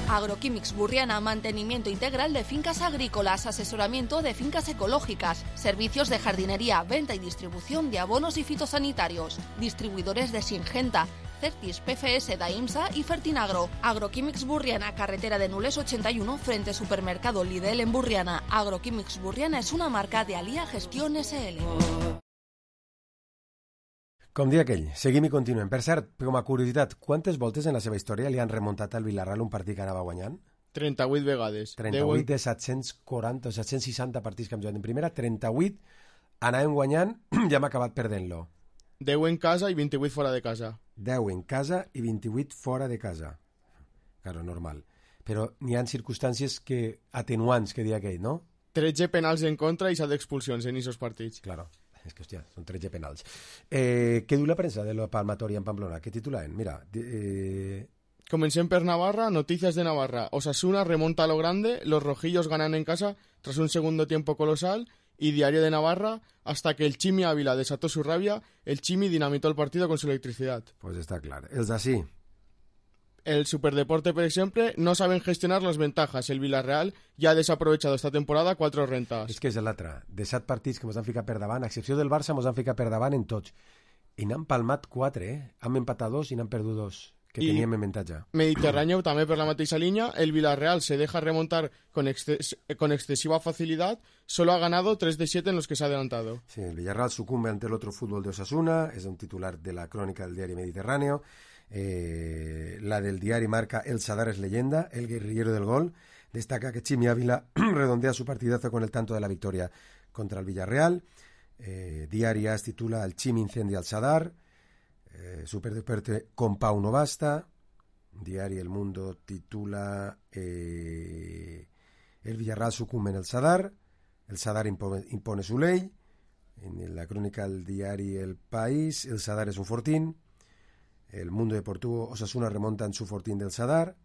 Agroquímics Burriana, mantenimiento integral de fincas agrícolas, asesoramiento de fincas ecológicas, servicios de jardinería, venta y distribución de abonos y fitosanitarios, distribuidores de Singenta, Certis, PFS, Daimsa y Fertinagro. Agroquímics Burriana, carretera de Nules 81, frente supermercado Lidl en Burriana. Agroquímics Burriana es una marca de Alía Gestión SL. Com dia aquell, seguim i continuem. Per cert, com a curiositat, quantes voltes en la seva història li han remuntat al Villarreal un partit que anava guanyant? 38 vegades. 38 de 740 o 760 partits que hem jugat en primera, 38 anàvem guanyant i hem acabat perdent-lo. 10 en casa i 28 fora de casa. 10 en casa i 28 fora de casa. Claro, normal. Però n'hi ha circumstàncies atenuants, que dia aquell, no? 13 penals en contra i 7 expulsions en aquests partits. Claro. És que, hòstia, són 13 penals. Què diu la premsa de la Palmatoria en Pamplona? Què titulaven? Mira... Comencem per Navarra, noticias de Navarra. Osasuna remonta a lo grande, los rojillos ganan en casa tras un segundo tiempo colosal y Diario de Navarra, hasta que el Chimi Ávila desató su rabia, el Chimi dinamitó el partido con su electricidad. Pues està clar. Els d'ací. El Superdeporte, por ejemplo, no saben gestionar las ventajas. El Villarreal ya ha desaprovechado esta temporada 4 rentas. És que és l'altre. De 7 partits que ens han ficat per davant, a excepció del Barça, ens han ficat per davant en tots. I n'han palmat 4, Han empatat 2 i n'han perdut 2, que teníem en avantatge. Mediterráneo, también por la mateixa línea, el Villarreal se deja remontar con excesiva facilidad. Solo ha ganado 3 de 7 en los que se ha adelantado. Sí, el Villarreal sucumbe ante el otro fútbol de Osasuna. És un titular de la crónica del diario Mediterráneo. La del diari marca El Sadar es leyenda, el guerrillero del gol. Destaca que Chimi Ávila redondea su partidazo con el tanto de la victoria contra el Villarreal. Diari AS titula El Chimi incendia al Sadar. Superdeporte con Pau no basta. Diari El Mundo titula El Villarreal sucumbe en el Sadar impone su ley. En la crónica del diari El País, el Sadar es un fortín. El Mundo Deportivo, Osasuna remonta en su fortín del Sadar.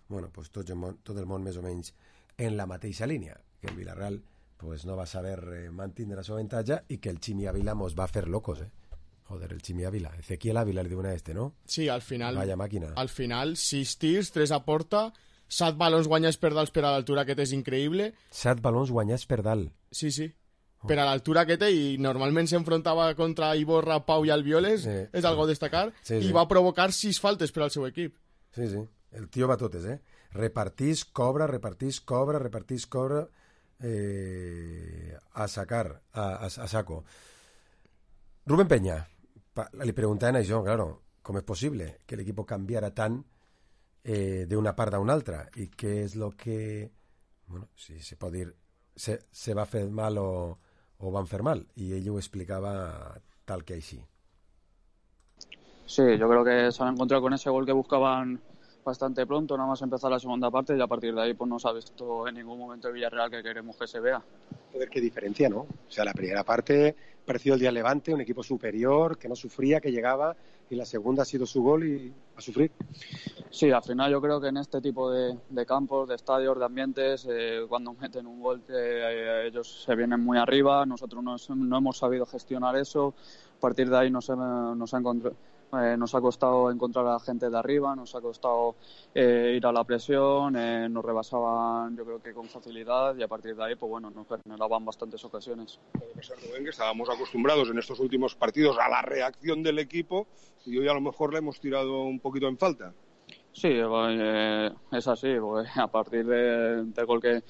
Bueno, pues tot el món més o menys en la mateixa línia, que el Villarreal pues, no va saber mantenir el seu avantatge i que el Chimi Ávila mos va fer locos, Joder, el Chimi Ávila. Ezequiel Ávila le diuen a no? Sí, al final... Vaya màquina. Al final, 6 tirs, 3 a porta, 7 balons guanyats per dalt per a l'altura, que és increïble. 7 balons guanyats per dalt. Sí, sí. Per a l'altura que té, i normalment s'enfrontava contra Iborra, Pau i Albioles, és algo a destacar, i va provocar 6 faltes per al seu equip. Sí, sí, el tio va totes, repartís, cobra, a sacar, a saco. Rubén Peña, li preguntaven això, claro, com és possible que l'equip canviara tant d'una part a una altra, i què és el que, bueno, si se pot dir, se va fer mal o van fer mal, y ell ho explicaba tal que així. Sí, yo creo que se han encontrado con ese gol que buscaban bastante pronto, nada más empezar la segunda parte, y a partir de ahí pues no se ha visto en ningún momento el Villarreal que queremos que se vea. Joder, qué diferencia, ¿no? O sea, la primera parte pareció el día Levante, un equipo superior, que no sufría, que llegaba, y la segunda ha sido su gol y a sufrir. Sí, al final yo creo que en este tipo de campos, de estadios, de ambientes, cuando meten un gol ellos se vienen muy arriba, nosotros no hemos sabido gestionar eso, a partir de ahí nos ha costado encontrar a la gente de arriba, nos ha costado ir a la presión, nos rebasaban yo creo que con facilidad y a partir de ahí pues bueno, nos generaban bastantes ocasiones. Puede pasar, Rubén, que estábamos acostumbrados en estos últimos partidos a la reacción del equipo y hoy a lo mejor le hemos tirado un poquito en falta. Sí, es así, porque a partir del gol que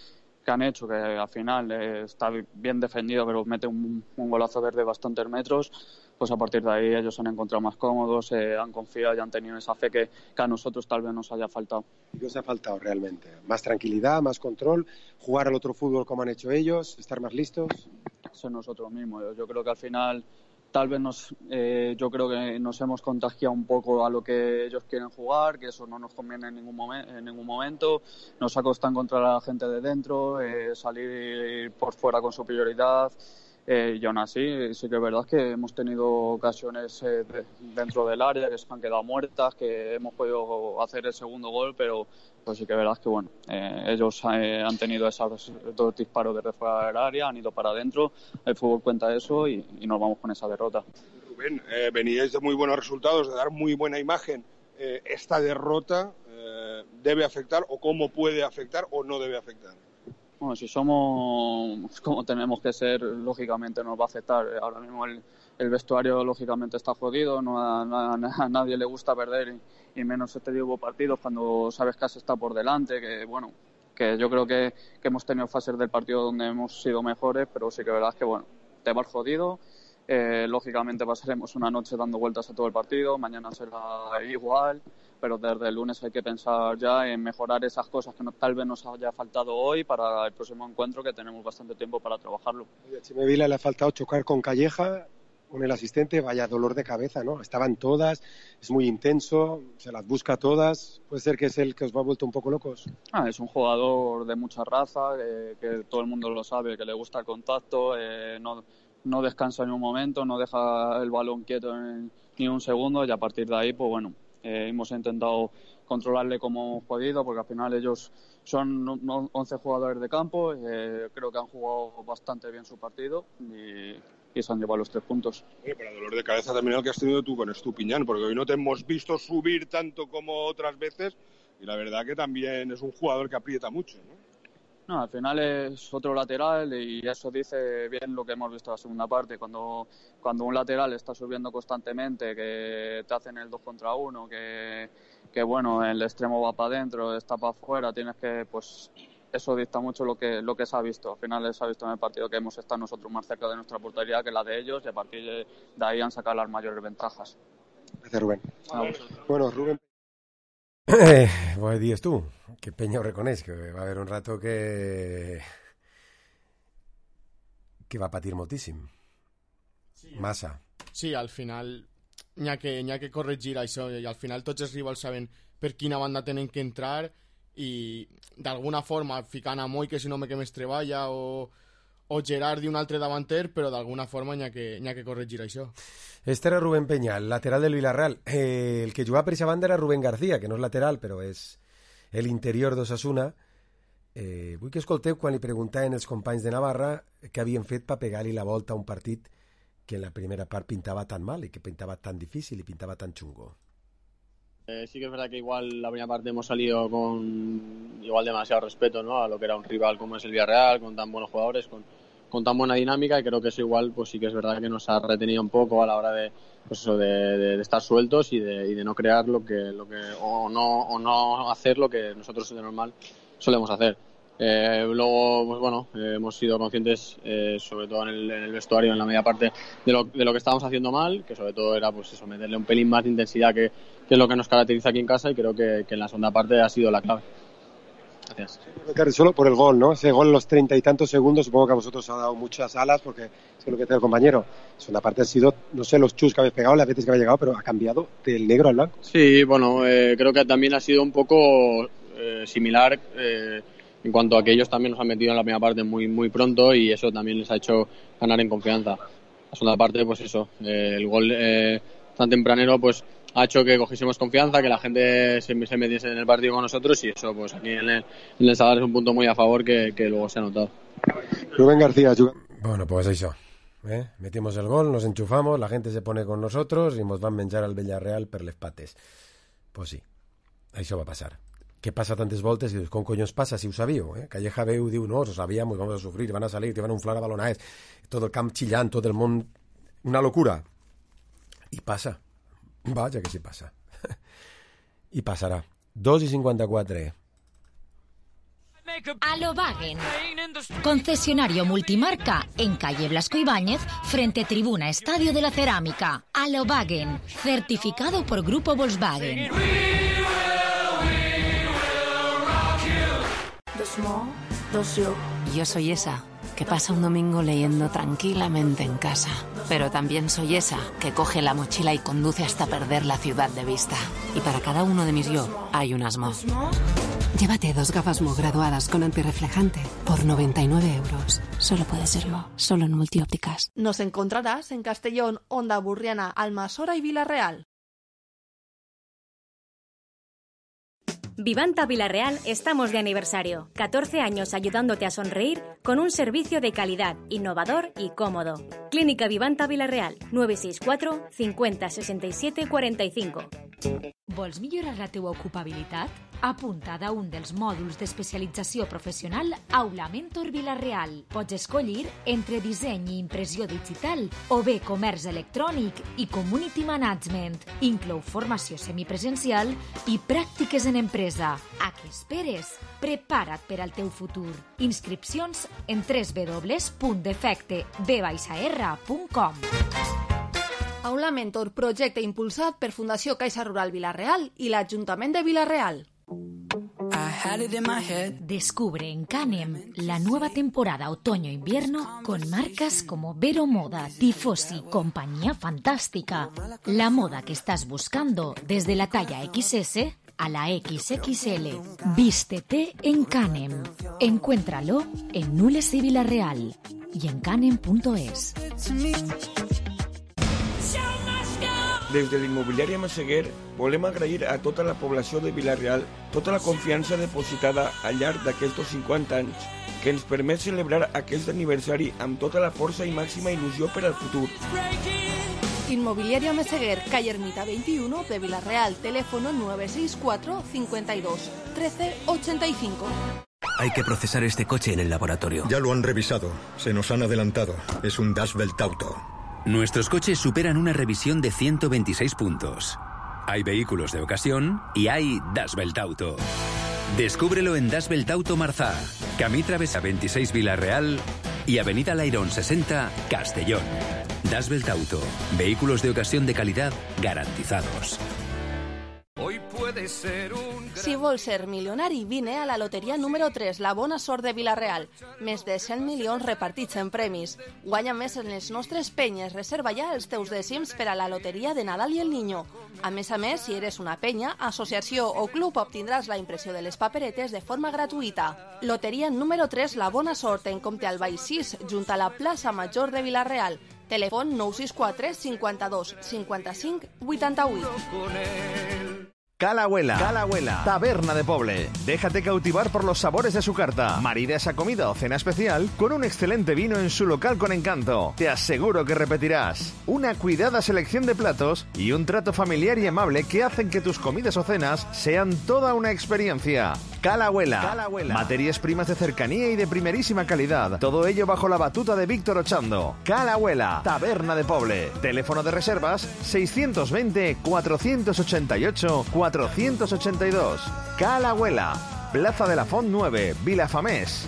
han hecho, que al final está bien defendido, pero mete un golazo desde bastantes metros, pues a partir de ahí ellos se han encontrado más cómodos, han confiado y han tenido esa fe que a nosotros tal vez nos haya faltado. ¿Qué os ha faltado realmente? ¿Más tranquilidad, más control, jugar al otro fútbol como han hecho ellos, estar más listos? Ser nosotros mismos. Yo creo que al final tal vez yo creo que nos hemos contagiado un poco a lo que ellos quieren jugar, que eso no nos conviene en ningún momento. Nos ha costado encontrar a la gente de dentro, salir por fuera con superioridad. Y aún así, sí que es verdad que hemos tenido ocasiones dentro del área que se han quedado muertas, que hemos podido hacer el segundo gol, pero pues sí que es verdad que bueno, ellos han tenido esos dos disparos desde fuera del área, han ido para adentro, el fútbol cuenta eso y nos vamos con esa derrota. Rubén, veníais de muy buenos resultados, de dar muy buena imagen. ¿Esta derrota debe afectar o cómo puede afectar o no debe afectar? Bueno, si somos como tenemos que ser, lógicamente nos va a afectar. Ahora mismo el vestuario lógicamente está jodido, a nadie le gusta perder y menos este tipo de partidos cuando sabes que has estado por delante, que yo creo que hemos tenido fases del partido donde hemos sido mejores, pero sí que es verdad que te vas jodido. Lógicamente pasaremos una noche dando vueltas a todo el partido, mañana será igual, pero desde el lunes hay que pensar ya en mejorar esas cosas que tal vez nos haya faltado hoy para el próximo encuentro, que tenemos bastante tiempo para trabajarlo. A Chime Vila le ha faltado chocar con Calleja, con el asistente, vaya dolor de cabeza, ¿no? Estaban todas, es muy intenso, se las busca todas. ¿Puede ser que es el que os va vuelto un poco locos? Es un jugador de mucha raza, que todo el mundo lo sabe, que le gusta el contacto, no descansa ni un momento, no deja el balón quieto ni un segundo, y a partir de ahí, pues bueno, hemos intentado controlarle como hemos podido, porque al final ellos son 11 jugadores de campo, creo que han jugado bastante bien su partido y se han llevado los 3 puntos. Pero dolor de cabeza también el que has tenido tú con Estupiñán, porque hoy no te hemos visto subir tanto como otras veces y la verdad que también es un jugador que aprieta mucho, ¿no? No, al final es otro lateral y eso dice bien lo que hemos visto en la segunda parte. Cuando un lateral está subiendo constantemente, que te hacen el 2 contra 1, que bueno, el extremo va para adentro, está para afuera, tienes que, pues eso dicta mucho lo que se ha visto. Al final se ha visto en el partido que hemos estado nosotros más cerca de nuestra portería que la de ellos y a partir de ahí han sacado las mayores ventajas. Gracias, Rubén. Bueno, Rubén. Pues dius tu, que Peña ho reconeix, que va haver un rato que va patir moltíssim. Sí, massa. Sí, al final n'hi ha que corregir això i al final tots els rivals saben per quina banda tenen que entrar i d'alguna forma ficant a Moi, que si no me que més treballa, o Gerard i un altre davanter, però d'alguna forma n'hi ha que corregir això. Este era Rubén Peña, el lateral del Villarreal. El que jugava per aquesta banda era Rubén García, que no és lateral, però és l'interior d'Osasuna. Vull que escolteu quan li preguntaven els companys de Navarra què havien fet per pegar-li la volta a un partit que en la primera part pintava tan mal y que pintaba tan difícil y pintaba tan chungo. Sí que es verdad que igual la primera parte hemos salido con igual demasiado respeto, ¿no?, a lo que era un rival como es el Villarreal, con tan buenos jugadores, con tan buena dinámica, y creo que eso igual pues sí que es verdad que nos ha retenido un poco a la hora de pues eso de estar sueltos y de no crear lo que o no hacer lo que nosotros de normal solemos hacer. Luego, pues bueno, hemos sido conscientes, sobre todo en el vestuario, en la media parte, de lo que estábamos haciendo mal, que sobre todo era pues eso, meterle un pelín más de intensidad, que es lo que nos caracteriza aquí en casa, y creo que en la segunda parte ha sido la clave. Gracias. Solo por el gol, ¿no? Ese gol en los 30 y tantos segundos, supongo que a vosotros ha dado muchas alas, porque es lo que decía el compañero. La segunda parte ha sido, no sé, los chus que habéis pegado, las veces que habéis llegado, pero ha cambiado del negro al blanco. Sí, bueno, creo que también ha sido un poco similar, en cuanto a que ellos también nos han metido en la primera parte muy, muy pronto, y eso también les ha hecho ganar en confianza. La segunda parte, pues eso, el gol tan tempranero, pues ha hecho que cogiésemos confianza, que la gente se metiese en el partido con nosotros, y eso pues aquí en el Sadar es un punto muy a favor que luego se ha notado. Rubén García. Bueno, pues eso. Metimos el gol, nos enchufamos, la gente se pone con nosotros y nos van a menjar al Villarreal per les pates. Pues sí, això va passar. Què passa tantes voltes i dius, com collons passa si ho sabíeu? Calleja veu, diu, no, ho sabíem, vamos a sufrir, van a salir, te van a inflar a balonades, tot el camp chillant, tot el món, una locura. I passa. Vaja que sí passa. I passarà. 2:54. Alobagen, concesionario multimarca en calle Blasco Ibáñez, frente Tribuna Estadio de la Cerámica. Alobagen, certificado por Grupo Volkswagen. Yo soy esa que pasa un domingo leyendo tranquilamente en casa. Pero también soy esa que coge la mochila y conduce hasta perder la ciudad de vista. Y para cada uno de mis yo hay un Mo. Llévate 2 gafas Mo graduadas con antirreflejante por 99 euros. Solo puede ser Mo, solo en Multiópticas. Nos encontrarás en Castellón, Onda Burriana, Almasora y Villarreal. Vivanta Villarreal estamos de aniversario. 14 años ayudándote a sonreír con un servicio de calidad, innovador y cómodo. Clínica Vivanta Villarreal, 964 50 67 45. Vols millorar la teua ocupabilitat? Apunta't a un dels mòduls d'especialització professional Aula Mentor Villarreal. Pots escollir entre disseny i impressió digital o bé comerç electrònic i community management. Inclou formació semipresencial i pràctiques en empresa. A què esperes? Prepara't per al teu futur. Inscripcions en www.defecteb-r.com. Aula Mentor, projecte impulsat per Fundació Caixa Rural Villarreal i l'Ajuntament de Villarreal. Descubre en Canem la nueva temporada otoño-invierno con marcas como Vero Moda, Tifosi, Compañía Fantástica. La moda que estás buscando desde la talla XS a la XXL. Vístete en Canem. Encuéntralo en Nules y Villarreal y en canem.es. Des de l'immobiliària Massaguer volem agrair a tota la població de Villarreal tota la confiança depositada al llarg d'aquests 50 anys que ens permet celebrar aquest aniversari amb tota la força i màxima il·lusió per al futur. Inmobiliaria Meseguer, calle Ermita 21 de Villarreal, teléfono 964 52 13 85. Hay que procesar este coche en el laboratorio. Ya lo han revisado. Se nos han adelantado. Es un Das Belt Auto. Nuestros coches superan una revisión de 126 puntos. Hay vehículos de ocasión y hay Das Belt Auto. Descúbrelo en Das Belt Auto Marzá, Camí Travesa 26 Villarreal y Avenida Lairón 60 Castellón. Das Belt Auto, vehículos de ocasión de calidad garantizados. Hoy puede ser un... Si vols ser milionari, vine a la loteria número 3, la bona sort de Villarreal. Més de 100 milions repartits en premis. Guanya més en les nostres penyes. Reserva ja els teus dècims per a la loteria de Nadal i el Niño. A més, si eres una penya, associació o club, obtindràs la impressió de les paperetes de forma gratuïta. Loteria número 3, la bona sort, en Comte Albay 6, junt a la plaça Major de Villarreal. Telèfon 964 52 55 88. Cala-Abuela, taberna de Poble. Déjate cautivar por los sabores de su carta. Marida esa comida o cena especial con un excelente vino en su local con encanto. Te aseguro que repetirás. Una cuidada selección de platos y un trato familiar y amable que hacen que tus comidas o cenas sean toda una experiencia. Cala-Abuela. Materias primas de cercanía y de primerísima calidad. Todo ello bajo la batuta de Víctor Ochando. Cala-Abuela, taberna de Poble. Teléfono de reservas 620 488 482. Cala-Abuela, Plaza de la Font 9, Vilafamés.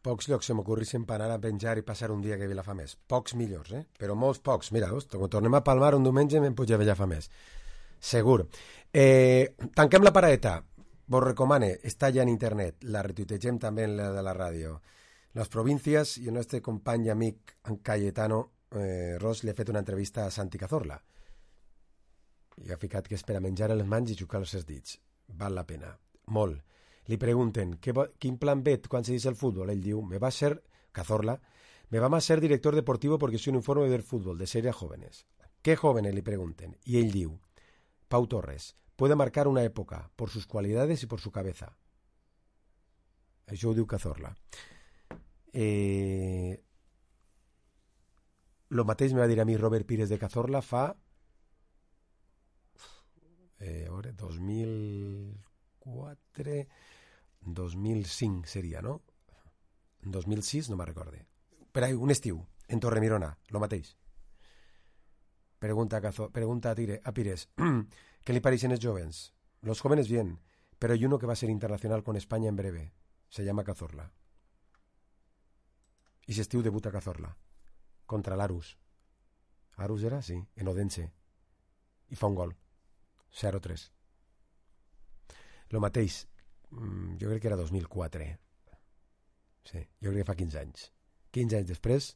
Pocs llocs se m'ocorrissin per anar a penjar i passar un dia que Vilafamés. Pocs millors, Però molts pocs. Mira, quan tornem a Palmar un diumenge me'n puig a Vilafamés. Segur. Tanquem la paraeta. Vos recomane, està ja en internet. La retuitegem també en la de la ràdio. Les províncies i el nostre company i amic en Cayetano Ros li ha fet una entrevista a Santi Cazorla. I ha ficat que és per a menjar les mans i xucar-los els dits. Val la pena. Molt. Li pregunten, ¿quin plan ve quan se dice el fútbol? Ell diu, Cazorla, me va a ser director deportivo porque soy un informe del fútbol, de serie a jóvenes. ¿Qué jóvenes? Le pregunten. Y ell diu, Pau Torres, puede marcar una época por sus cualidades y por su cabeza. Això ho diu Cazorla. Lo mateix me va dir a mi Robert Pires de Cazorla fa 2004, 2005 seria, no? 2006, no me'n recorde. Per ahí, un estiu, en Torremirona, lo mateix. Pregunta a Pires, ¿qué le parecen los jóvenes? Los jóvenes bien, pero hay uno que va a ser internacional con España en breve. se llama Cazorla. I s'estiu debuta Cazorla contra l'Arus. Arus era? Sí, en Odense. I fa un gol. 0-3. Lo mateix, jo crec que era 2004. Sí, jo crec que fa 15 anys. 15 anys després,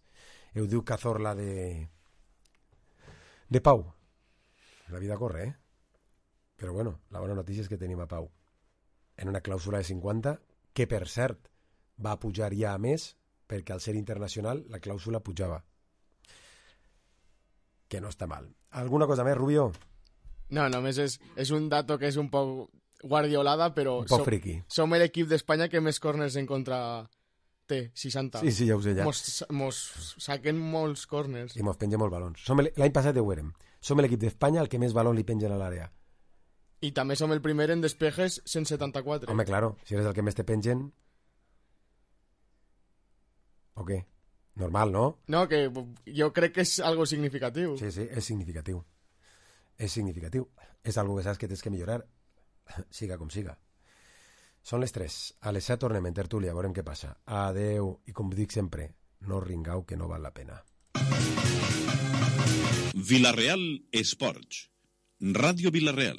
heu diu Cazorla de Pau. La vida corre, Però bueno, la bona notícia és que tenim a Pau en una clàusula de 50, que per cert va pujar ja a més, perquè al ser internacional la clàusula pujava. Que no està mal. Alguna cosa més, Rubio? No, només és un dato que és un poc guardiolada, però un poc friqui. Som l'equip d'Espanya que més corners en contra té, 60. Sí, ja ho sé, ja. Mos saquen molts corners. I mos pengen molts balons. L'any passat ho érem. Som l'equip d'Espanya el que més balons li pengen a l'àrea. I també som el primer en despejes 174. Home, claro, si eres el que més te pengen... ¿O què? Normal, no? No, que jo crec que és algo significatiu. Sí, és significatiu. És significatiu. És algo que saps que tens que millorar, siga com siga. Són les 3. A les 7 tornem en tertúlia, veurem què passa. Adeu, i com dic sempre, no ringau que no val la pena. Vila-real Esports. Ràdio Vila-real.